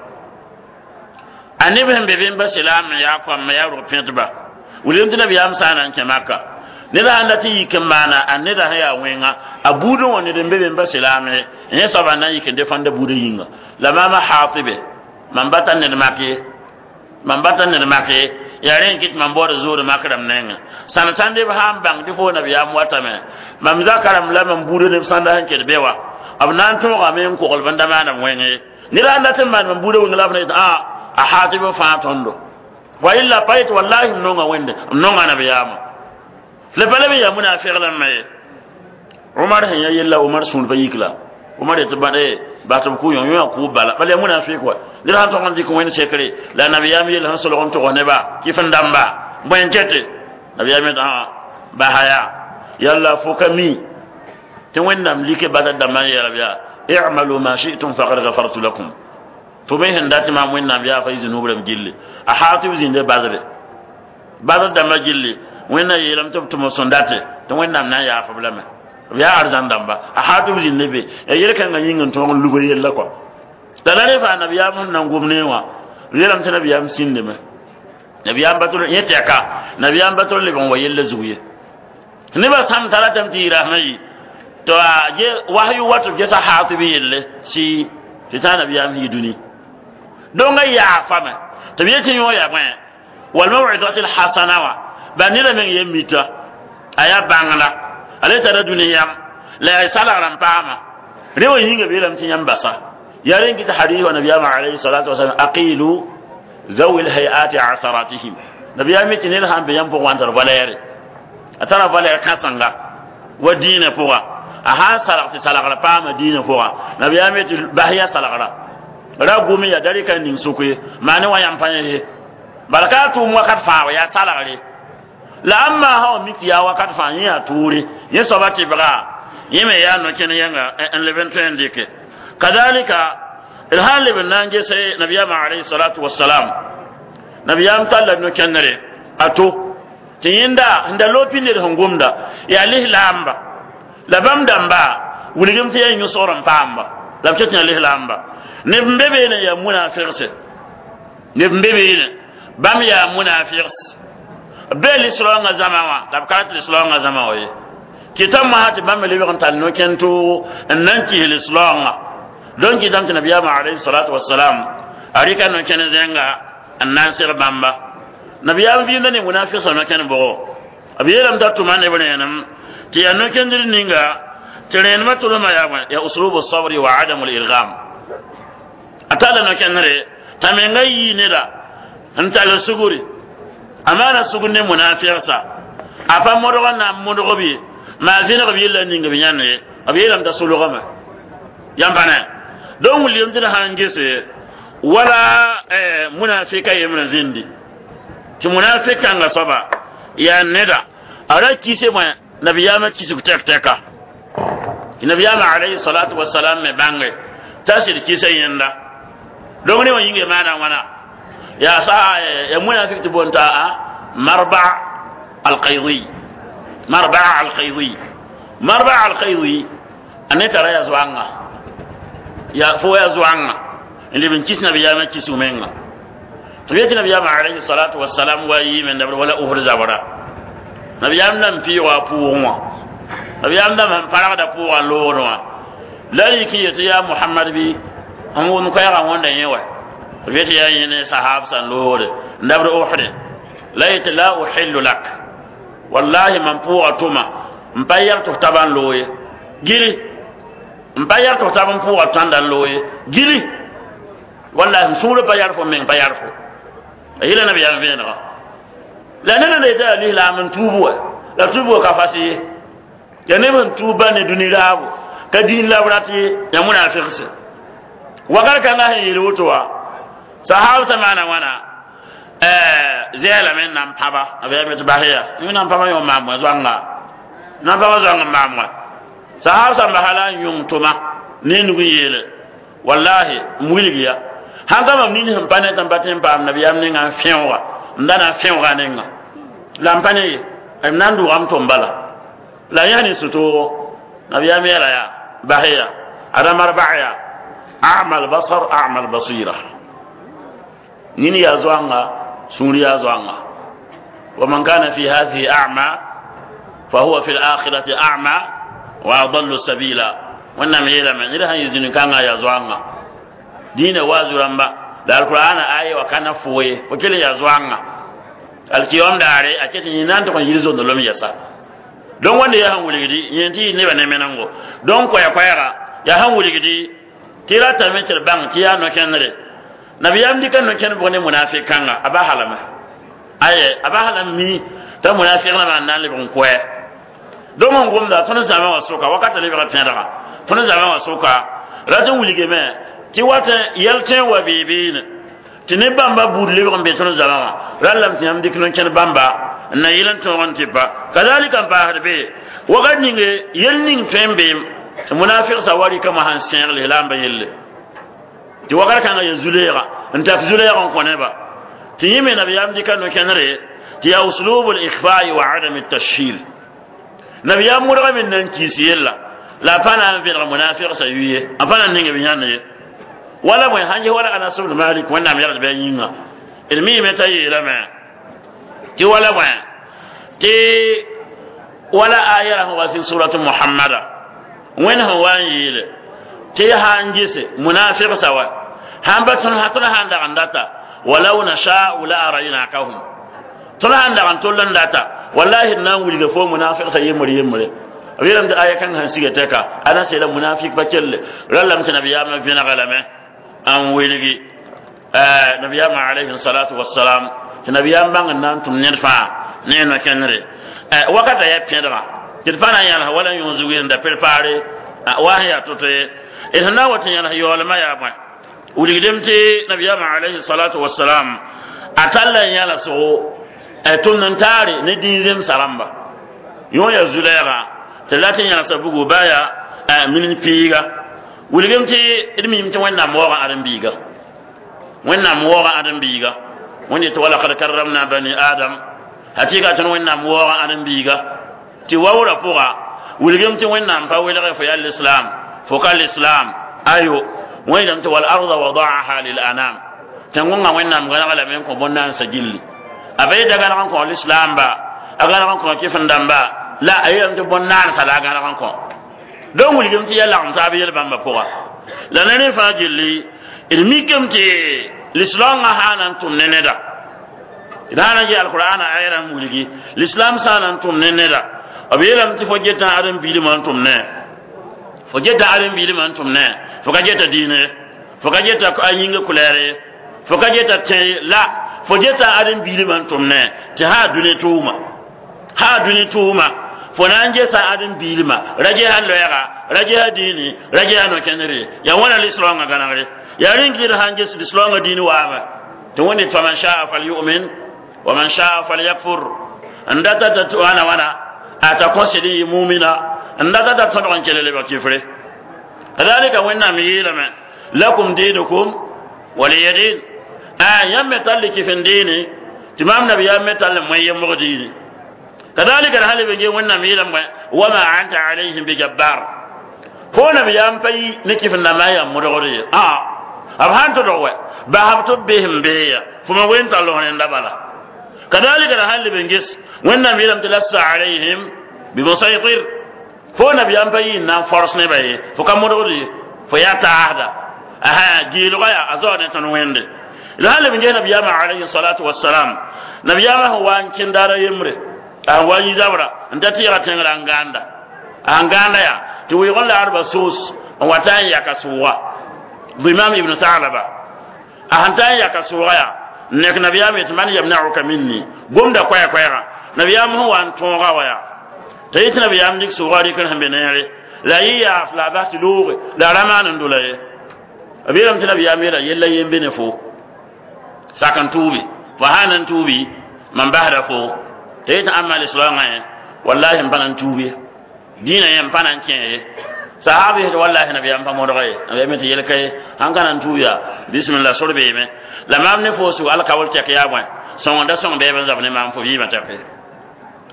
a neb sẽn be be n ba silaam n yaa kõam yaa rog pẽtba wilgem tɩ nabiyaam sã n na n kẽ maka ned sãn dat n yik n maana a neda sẽn yaa wẽnga a buudẽ wã ned n be be n ba silaam ye yẽ soaba n na n yik n defãnda buudã yĩnga la maama Haatibe mam ba tar ned mak ye mam ba tar ned mak ye yaa rẽ n kɩt mam baood zood mak rãmb nengẽ sãn sãnde b sã n bãng tɩ fo nabiyaam watame mam zaka rãmb la mam buudã neb sãnda sẽn ket be wa b na n tõogame n kogl b n da maanam wẽng ye ned sãn dat n maan mam buudã wẽng la b na yet a a Haatib fãa tõndo wa illa pa yet wallahi m nonga wẽnde m nonga nabiyaamã la pa leb n yaa munafiglame ye Umar sẽn ya yella Umar sũur pa yik la Umar yetɩ bãd bas tɩ b kʋ yõ yõ kʋʋb bala bala yaa munafik wa ned sãn tog n dɩk wẽnd sekre la nabiyaam yell sẽn solg n tog neba kɩf n dãmba bõe n kete nabiyaam yet basa yaa yalla fo ka mi tɩ Wẽnnaam like basa dãmbã n yeelb yaa i'malu ma shi'tum faqad ghafartu lakum tɩ b sẽn dat maam Wẽnnaam yaa fa y zũnub rãmb gilli a Haatib zĩnde badre badr dãmbã gilli Wẽnna yeelame tɩ b tʋm sẽn date tɩ Wẽnnaam na n yaaf b lame b yaa arzãn dãmba a Haatib zĩnde be ya yel-kãngã yĩng n tõog n lug yella kɔa la la rẽ faa nabiyaam sẽn na n gom ne wã b yeelame tɩ nabiyaam sĩndame nabiyaam ba tʋl yẽ tɛka nabiyaam ba tʋl leb n wa yella zug ye nebã sãm t'a ratame tɩ yɩ rasmã yi to a ge wahyu wat b gesa Haatib yelle sɩ tɩ tã nabiyaam sẽn yi dũni donc a yaafame tɩ b yetɩ yõ yaa bõe walmawidati lhasana wã ba neda meng ye mita a yaa bãngla a le tara dũni yam la yaa salgrã n paama rẽ wa yĩnga beelame tɩ yãmb basa yaa rẽ kɩt hadis wa nabiyaamã alayhi salatu wasalam aqilu zawi lhayati asaratihim nabiyaam tɩ ned sãn be yãmb pʋgẽ wã n tar valɛɛre a tara valɛɛr kãsenga wa dĩinã pʋga a sãn salg tɩ salgra paama dĩinã pʋga nabiyaam tɩ bas ya salgra ra gʋm ya da rɩka ning sʋk ye maa ne wa yãmb pa yẽ ye bala ka tʋʋm wakat fãa wa yaa salgre la ãmb maa sã wa mik tɩ yaa wakat fãa yẽ yaa tʋʋre yẽ soaba tɩbga yẽ me yaa no-kẽn yẽnga n leb n tõe n dɩke kadalika d sãn leb n na n gese nabiyaamã alayhi salatu wasalam nabiyaam talla no-kẽndre a to tɩ yẽnda sẽn da loog pĩnd d sẽn gomda yaa lislaamba la bãmb dãmba wilgem tɩ yaa yũ-sogr n paamba la b ket yã lislaamba neb n be beene yaa munafigse neb n be beene bãmb yaa munafigs b bee lislaoongã zãma wã la b ka rat lislaoongã zãma wã ye kɩta mosã tɩ bãmb lebg n tall no-kẽn toogo n na n kis lislaoongã donc kɩtame tɩ nabiyaamã alayhi salatu wasalam a rɩka no-kẽn zẽnga N na n seg bãmba nabiyaam vɩɩmda ne munafigsã no-kẽnd bʋgo b yeelame t'a tʋma neb rẽenem tɩ yaa no-kẽndr ninga tɩ rẽenemã tʋlmã yaa bõe yaa uslubu sabri wa adamu lirgam a talla no-kẽndre t'a menga yii neda n tall sugri a maana sugr ne munafigsa a pa modg n na n modg b ye maa vẽneg b yella ning b yãnd ye b yeelame t'a sulgame yãmb pa ne donc wilgem tɩ d sãn gese wala munafika yembrã zĩndi tɩ munafik kãngã soaba yaa neda a ra kise bõe nabiyaamã kisg tɛk tɛka tɩ nabiyaamã alayhi salatu wasalam me bãnge t'a sɩd kisa yẽnda donc ne wã yĩnge maana wãna yaa sa ya munafik tɩ boond t'a marba alqaydi marba alqaydi marba alqaydi a ne tara ya zoaŋa ya fo ya zoaŋa n leb n kis nabiyaamã kisg menga tɩ b yetɩ nabiyaamã alayhi salatu wasalam wa yiime dabr wala uhud zabra nabiyaam nan pɩʋga a pʋʋgẽ wã nabiyaam dãmb sẽn pargda pʋʋgã n loogd wã la yik n yetɩ yaa mohamad bɩ sẽn wʋm koɛɛgã wõnda yẽ wa b yetɩ yaa yẽ ne sahab sã n loogde n dabd uhde la yetɩ la uhillu lak wallahi mam pʋʋga tʋma n pa yɛg tɩ f tab n loog ye gili n pa yɛg tɩ f tab n pʋʋga tõanda n loog ye gili wallahi m sũurã pa yar fo meng pa yar fo a yɩla nabiyaam vẽenega la ned n yetɩ yaa lislaam n tuub wa la tuubgo ka fas ye ya neb sẽn tuub ne dũni raabo ka dĩin la b rat ye ya munafigse wakat kãngã sẽn yeel woto wa sahab sã maana wãna zɛɛlame n na n pãba b yaa tɩ bas ya yẽ na n pãba yõ maam wã zoanga na n pãba zoang n maam wã sahab sã n basa la n yõng tʋma ne nug n yeele wallahi m wilg ya sãn ka mam nin sẽn pa ne tɩ n pa tẽ n paam nabiyaam ninga n fẽooga n da na n fẽooga nenga la n pa ne ye m na n dʋʋgame tʋm bala la yãs ne sũ-toogo nabiyaam yeela yaa bas ya ada marba ya a'ma albasar a'ma albasira nin yaa zoanga sũur yaa zoanga wa man kana fi hadhihi a'ma fa huwa fi al-akhirati a'ma wa adallu sabila wẽnnaam yeelame ned sãn yɩ zĩni-kãngã yaa zoanga dĩinã waazu rãmba la alqur'ana aya wa kana fo ye fo kell yaa zoanga alkiyom daare a ket yẽ na n tʋg n yir zondlem yɛsa donc wẽnde yaa sẽn wilgdi yẽ tɩ yɩ nebã ne menengo donc koɛɛ-koɛɛga yaa sẽn wilgdi tɩ ratame tɩ d bãng tɩ yaa no-kẽndre nabiyaam dɩka no-kẽnd bʋg ne munafik kãnga a ba halame aye a ba halam mi t'a munafik rãmbã n na n lebg n koɛ donc n gomda tõnd zãma wã sʋka wakata lebga pẽdga tõnd zãma wã sʋka rat n wilgame tɩ wat yɛl tõe n wa beebeene tɩ ne bãmba buud lebg n be tõnd zãma wã rallame tɩ yãmb dɩk no-kẽnd bãmba n na yɩl n tõog n tɩ pa kazalika n paasd be wakat ninge yel ning tõe n beem tɩ munafigsã wa rɩkame sãn sẽeg lislaambã yelle tɩ wakat kãngã ya zu-leega n tak zu-leeg n kõ neba tɩ yẽ me nabiyaam dɩka no-kẽndre tɩ yaa uslubu l-ikhfai wa adam tashhir nabiyaam modgame n na n kiis yella la a pa na n vẽneg munafigsã yuye a pa na n ning b yãnd ye wala bõe sãn ges wala anas bn malik wẽnnaam yagd bɩ a yĩnga d miime t'a yeelame tɩ wala bõe tɩ wala aya ra sẽn wa sɩ suratu muhammada wẽnd sẽn wa n yeele tɩ sã n gese munafigsa wa sãn pa tõnd tõnd sã n dag n data walau nashau la araynakahum tõnd sã n dag n tol n data wallahi d na n wilga fo munafigsa yembre yembre b yeelame tɩ aya kãng sẽn siga tɛka a na seela munafik pa kelle rallame tɩ nabiyaamã vẽnega lame n wilgi nabiyaamã alayhi salatu wassalam tɩ nabiyaam bãng n na n tʋm ned fãa ne no-kẽndre wakata yaa pẽdga tɩ d pa na n yãls wala yõ zug n da prepare wa sẽn yaa to-to ye d sẽn na n wa tɩ yãls yaoolmã yaa bõe wilgdem tɩ nabiyaamã alayhi salatu wassalam a talla n yãlsgo tʋmd n taare ne dĩin zemsa rãmba yõ yaa zu-lɛɛga tɩ la tɩ yãlsa bugu baa yaa min piiga wilgem tɩ d miime tɩ wẽnnaam waoogã ãdem-biiga wẽnnaam waoogã ãdem-biiga wẽnd yetɩ walakad karramna bani adam hakɩka tõnd wẽnnaam waoogã ãdem-biiga tɩ waoorã pʋga wilgem tɩ wẽnnaam pa welge fo yaa lislam fo ka lislam ayo wẽndame tɩ wal arda wadaaha lil anam tẽn-gõngã wẽnnaam gãneg lame n kõ bõn-naansa gilli a ba yeta gãneg n kõ lislaamba a gãneg n kõ kɩf-n-dãmba la a yeelame tɩ bõn-naansa la a gãneg n kõ donc wilgem tɩ yaa lagem taab yel bãmba pʋga la ne rẽ fãa gilli d mikame tɩ l'islam sã na n tʋm ne neda d sã na n yɩ alqur'ana ayra n wilgi l'islam sã na n tʋm ne neda b yeelame tɩ fo geta ãdem-biilmã n tʋm ne fo geta ãdem-biilmã n tʋm ne fo ka geta diine ye fo ka geta a yĩnga kulɛɛr ye fo ka geta tẽ ye la fo geta ãdem-biilmã n tʋm ne tɩ sã dũni tʋʋma sã dũni tʋʋma fo na n gesa ãdem-biilmã ra gesa loɛɛga ra gesa dĩini ra gesa no-kẽndr ye yaa wãna lislaoongã gãnegre yaa rĩng sãn ges lislaoongã dĩin waame tɩ wẽnde faman shaa falyumin wa man shaa falyakfur n data t'a wãna wãna a ta kõsd n yɩ mumina n data t'a tõdg n kell lebg kifre kadalika wẽnnaam yeelame lakum diinukum waliya din a yãmb me tall kif n diini tɩ maam nabiyaam me tall moe yembg diini kadalika d sã leb n ge wẽnnaam yeelame wama anta alayhim bijabbar fo nabiyaam pa yi ne kif n dãmbã yaa modgd ye a b sãn tʋdg wɛ basb tɩ b bes n beeya fo ma wen tall f rẽnda bala kadalika d sãn leb n ges wẽnnaam yeelame tɩ lasta alayhim bimusaytir fo nabiyaam pa yi n na n fors nebã ye fo ka modgd ye fo yaa taasda aha geelgã yaa a zaood ne tõnd wẽnde d sãn leb n ges nabiyaamã alayhi salatu wasalam nabiyaamã sẽn wa n kẽnd daara yembre a wa yĩ zabra n ta tɩɩga tẽngrã n gãanda a n gãanda yaa tɩ wɩɩg n laadba soos n wa ta n yaka sʋʋga Dimam ibn Thalaba a sẽn ta n yaka sʋʋga yaa n nek nabiyaam yetɩ man yamnauka minni gomda koɛɛ-koɛɛgã nabiyaam sẽn wa n tõoga wa yaa t'a yetɩ nabiyaam dɩk sʋʋga rɩk sẽn be neere la a yɩ yaaf la a bas tɩ looge la a ra maan n dola ye b yeelame tɩ nabiyaam yeela yella yen be ne fo sak n tuubi fo sã n na n tuubi mam basda fo t'a yetɩ ãmba lislaoongã yẽ wallahi n pa na n tuub ye dĩinã yẽ n pa na n kẽ ye sahab yetɩ wallahi nabiyaam pa modga ye nabiyaam tɩ yel ka ye sãn ka na n tuub yaa bisimilla sor beeme la maam ne fo sug alkawal tɛk yaa bõe sõng da sõng bɛɛb n zab ne maam fo vɩɩmã tɛk ye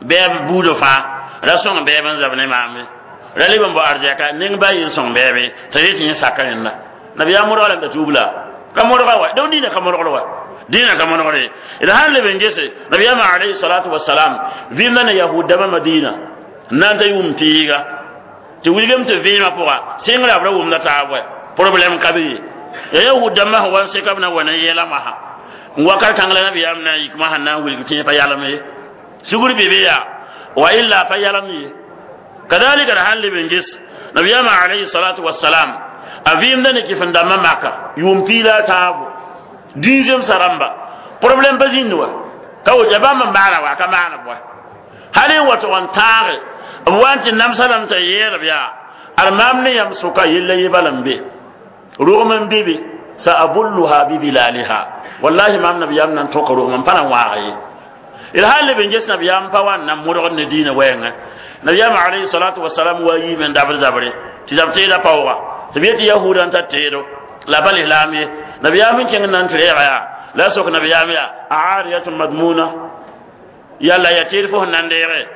bɛɛb buudã fãa ra sõng bɛɛb n zab ne maam ye ra leb n bao arzɛka ning ba yɩ n sõng bɛɛbe t'a yetɩ yẽ saka rẽnda nabiyaam modga lame t'a tuub la ka modga wa donc dĩinã ka modgd wa dĩinã ka modgd ye d sãn leb n gese nabiyaamã alayhi salatu wasalam vɩɩmda ne yahud dãmbã madina n na n ta yʋʋm piiga tɩ wilgem tɩ vɩɩmã pʋga sɩngrã b ra wʋmda taab wɛ problème ka be ye ya yahud dãmbã sẽn wa n seka b na wa ne yɛla masã n wakat kãng la nabiyaam na n yik masã n na n wilg tɩ yẽ pa yalem ye sugr be be yaa wa illa pa yalem ye kadalika d sãn leb n ges nabiyaamã alayhi salatu wasalam a vɩɩmda ne kɩf n dãmbã maka yʋʋm piig la a tãabo dĩizemsã rãmba problème pa zĩnd wa ka woto ya bãmb n maana wa a ka maan b wa hal n wa tʋg n tãage b wa n tɩ namsa lame t'a yeelb yaa ad maam ne yãmb sʋka yella ye bala n be rogm n be be saabulluha bibilaliha wallahi maam nabiyaam na n tõka rogm n pa na n waag ye d sãn leb n ges nabiyaam pa wa n na n modgd ne diinã wɛɛngã nabiyaam alayhi salatu wasalam wa yiime n dabd zabre tɩ zab teedã paooga tɩ b yetɩ yahuudã n tar teedo la pa lislaam ye nabiyaam n kẽng n na n tɩ reega yaa la a sok nabiyaam yaa aariyatun madmuna yalla ya teed fo sẽn na n deege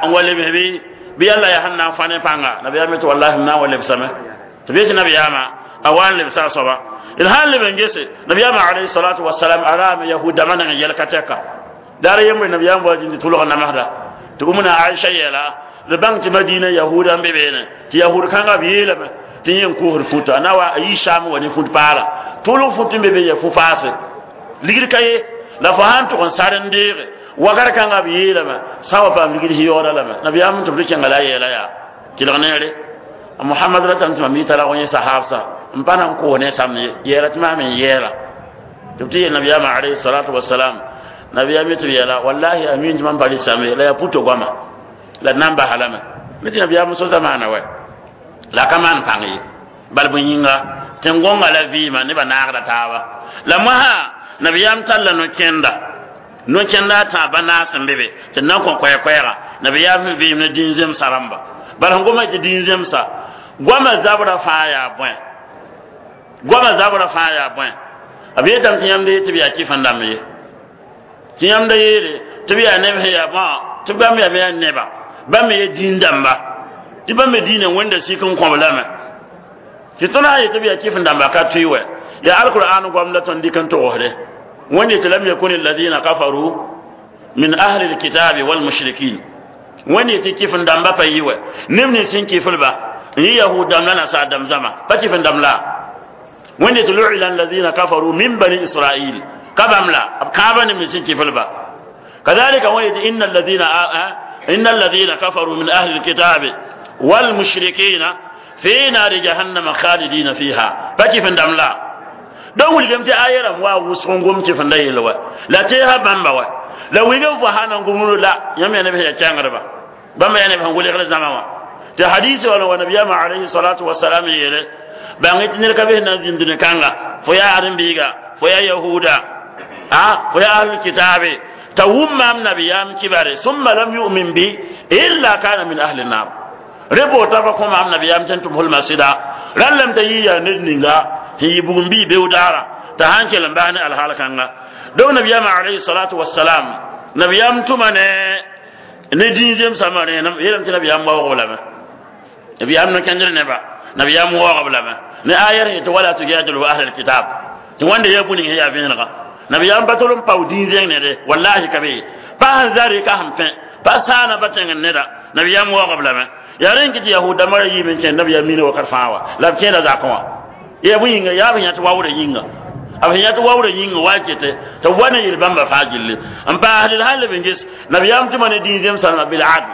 n wa lebs bɩ bɩ yalla yaa sẽn na n fa ne pãnga nabiyaam yetɩ wallahi m na n wa lebsame tɩ b yetɩ nabiyaamã a wa n lebsa a soaba d sãn leb n gese nabiyaamã alayhi salatu wasalam a raame yahud dãmbã neng n yɛl ka tɛka daar yembre nabiyaam wa zĩnd tɩ tʋlg namsda tɩ umna aisha yeela d bãng tɩ madina yahuudã n be beene tɩ yahud kãngã b yeelame tɩ yẽ n koosd futa na wa a yɩ saam wa ne fut paala tʋlg fut n be be ya fu-paase ligd ka ye la fo sãn tʋg n sar n deege wakat kãngã b yeelame sã wa paam ligd yaooda lame nabiyaam tɩ b rɩ kẽnga la a yeela yaa kelg neere mohamad ratame tɩ mam yɩ tara yẽ sahaabsa n pa na n koos ne sãmb ye yeela tɩ maam n yeela tɩ b tɩ yeel nabiyaamã alayhi salatu wasalam nabiyaam yetɩ b yeela wallahi a miin tɩ mam pa rɩ sãmb ye la yaa puto goama la d na n basa lame me tɩ nabiyaam so zamaana wɛ la ka maan pãng ye bal bõe yĩnga tẽn-gõnga la vɩɩmã nebã naagda taaba la mosã nabiyaam talla no-kẽnda no-kẽnda a tãab banaas n be be tɩ d na n kõ koɛɛ-koɛɛga nabiyaam sẽn vɩɩm ne dĩn-zemsã rãmba bala sẽn goma tɩ dĩn-zemsa goamã zabrã fãa yaa bõe goamã zabrã fãa yaa bõe b yetame tɩ yãmb tɩ b yaa kɩf n dãmb ye tɩ yãmb da yeele tɩ b yaa neb sẽn yaa bõ tɩ bãmb yaa me yaa neba bãmb me ye dĩn dãmba tɩ bãmb me diinã wẽnda sik n kõb lame tɩ tõnd sã n yetɩ b yaa kɩf n dãmba ka tʋɩ wɛ yaa alqur'an goam la tõnd dɩk n togsde wẽnd yetɩ lam yakun alladina kafaru min ahli alkitabi walmushrikin wẽnd yetɩ kɩf n dãmba pa yɩ wɛ neb nins sẽn kɩflba n yɩ yahud dãmb la nasaar dãmb zãma pa kɩf n dãmb la Wẽnde tɩ lu'ila alladhina kafaru min bani Israil ka bãmb la b kãabã ne me sẽn kɩflba. Kadhalika wẽnde tɩ inna alladhina inna alladhina kafaru min ahli alkitabi walmushrikina fi nari jahannama khalidina fiha, pa kɩf n dãmb la. Donc wilgame tɩ aya rãmb wa wʋsg n gom kɩf n da yell wa la teesã bãmba wa la wilgame fo sã na n gomd la yãmb yaa neb sẽn yaa kɛngdba, bãmba yaa neb sẽn welgd zãma wã tɩ hadisi wala wa nabiyama alayhi salatu wasalam yeele bãng tɩ ned ka be sẽn na n zĩnd dũni kãnga fo yaa ãdem-biiga, fo yaa yahuda a fo yaa ahlul kitabe, t'a wʋm maam nabiyaam kibare summa lam yu'min bi illa kana min ahli nar. Re boota fa kõ maam nabiyaam tɩ n tʋm hulma sɩda rãn lame t'a yɩ yaa ned ninga sẽn yɩ bugum bii beodaara t'a sãn kell n bas ne alhaal kãnga. Donc nabiyaamã alayhi salatu wasalam nabiyaam tʋma ne ne dĩn zemsã rẽenem yeelame tɩ nabiyaam waoog lame, nabiyaam no-kẽndr neba, nabiyaam waoog lame ne ayar tɩ wala tujadilu ahla alkitab tɩ wãnda yaa bũ ning sẽn yaa vẽenega. Nabiyaam pa tol n pao dĩn zẽng nede, wallahi ka be pa sẽn zare ka sẽn pẽ pa saana pa tẽngd neda, nabiyaam waoog lame. Yaa rẽn kɩ tɩ yahud dãmbã ra yiime n kẽnd nabiyaam miina wakat fãa wa la b kẽeda zakẽ wã yaa bõe yĩnga yaa b yã tɩ waoodã yĩnga b sẽn yã tɩ waoodã yĩnga wa kete tɩ b wa ne yel bãmba fãa gilli n paasd d sãn leb n ges nabiyaam tʋma ne dĩn zemsãmba bil adl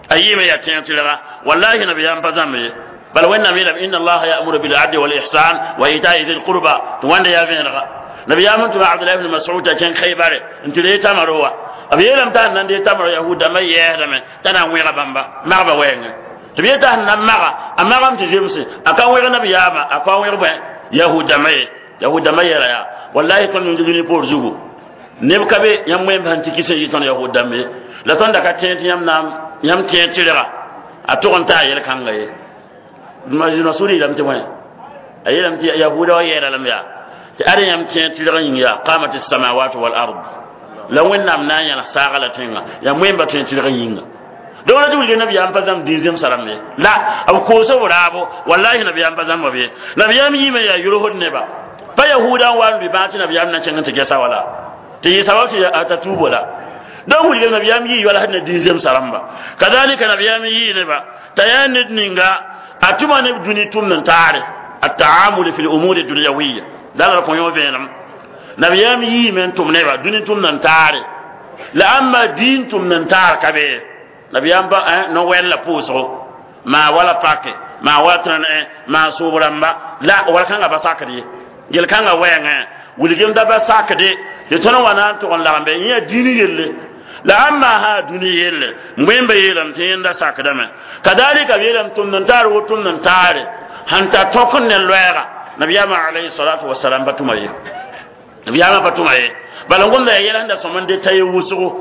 a yɩɩme yaa tẽeg tɩrga. Wallahi nabiyaam pa zãmb ye, bala Wẽnnaam yeelame inna allaha ya'muru bil adli wal ihsan wa ita'i dhil qurba tɩ wãnda yaa vẽenega. Nabiyaam n tʋma Abdullah ibn Mas'ud t'a kẽng Khaybare n tɩ ree tamaro wa b yeelame t'a sẽn na n dee tamaro yahud dãmbã yɛɛsdame t'a na n wẽga bãmba magba wɛɛngẽ tɩ b yeta sẽn na n maga a magame tɩ zemse a ka wẽg nabiyaamã a ka wẽg bõe yahud dãmbã ye. Yahud dãmbã yeela yaa wallahi tõnd yũnd dũni poor zugu neb ka be yãmb wẽmb sẽn tɩ kis n yɩ tõnd yahud dãmb ye la tõnd da ka tẽeg tɩ yãmb na yãmb tẽeg tɩrga a tʋg n taa yel-kãnga ye. Masud yeelame tɩ bõe a yeelame tɩ yahuda wa yɛɛra lame yaa tɩ ad yãmb tẽeg tɩrg yĩng yaa qamat الsamawat wal ard la Wẽnnaam na n yãls saaga la tẽnga yãmb wẽmba tẽeg tɩrg yĩnga. Donc la tɩ wilg nabiyaam pa zãmb dĩn zemsa rãmb ye la b koos b raabo, wallahi nabiyaam pa zãmba b ye. Nabiyaam yiime yaa yʋlsd neba pa yahuudã n wa n lʋɩ bãag tɩ nabiyaam na kẽng n tɩ gɛsa wala tɩ yɩ sabab tɩ t'a tuubo la. Donc wilg nabiyaam yii yoalsd ne dĩn zemsa rãmba. Kadalika nabiyaam yii neba t'a yaa ned ninga a tʋma neb dũni tʋmd n taare التعامل في الأمور الدنيوية la la kõ yõ vẽenem nabiyaam yiime n tʋm neba dũni tʋmd n taare la ãmba diin tʋmd n taar ka be nabiyaam pa no-wɛl la pʋʋsgo maa wala pake maa wala tẽn maa sʋʋb rãmba la wal kãngã pa sakd ye yel-kãngã wɛɛngẽ wilgem da pa sakde tɩ tõnd wa na n tʋg n lagem be yẽ yaa diin yelle la ãmba sã dũni yelle wẽmba yeelame tɩ yẽnda sakdame. Kadalika b yeelame tʋmd n taar wo tʋmd n taare sẽn ta tõk n ne loɛɛga nabiyaamã alayhi salatu wasalam pa tʋma ye, nabiyaamã pa tʋma ye. Bala n gomda yaa yɛl sẽn da sõm n de t'a ye wʋsgo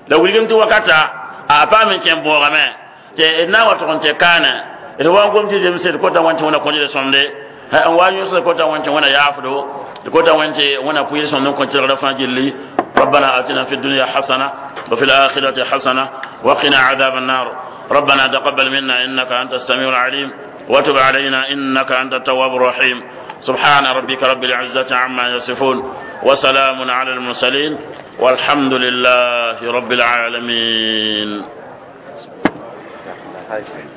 la wilgem tɩ wakata a paam n kẽ boogame tɩ d na n wa tʋg n tɩ kaane d wa n gom tɩ zemse d kota wẽn tɩ wẽna kõdɩd sõmde n wa yõsd kota wẽn tɩ wẽna yaafdo d kota wẽn tɩ wẽna pʋɩɩd sõmd n kõ tɩrgrã fãa gilli. ربنا آتنا في الدنيا حسنة وفي الآخرة حسنة وقنا عذاب النار. ربنا تقبل منا إنك أنت السميع العليم وتب علينا إنك أنت التواب الرحيم. سبحان ربك رب العزة عما يصفون وسلام على المرسلين والحمد لله رب العالمين.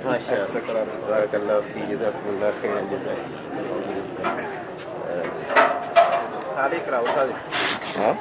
ما شاء الله، بارك الله فيك، جزاكم الله خيرا الجزاء. ها؟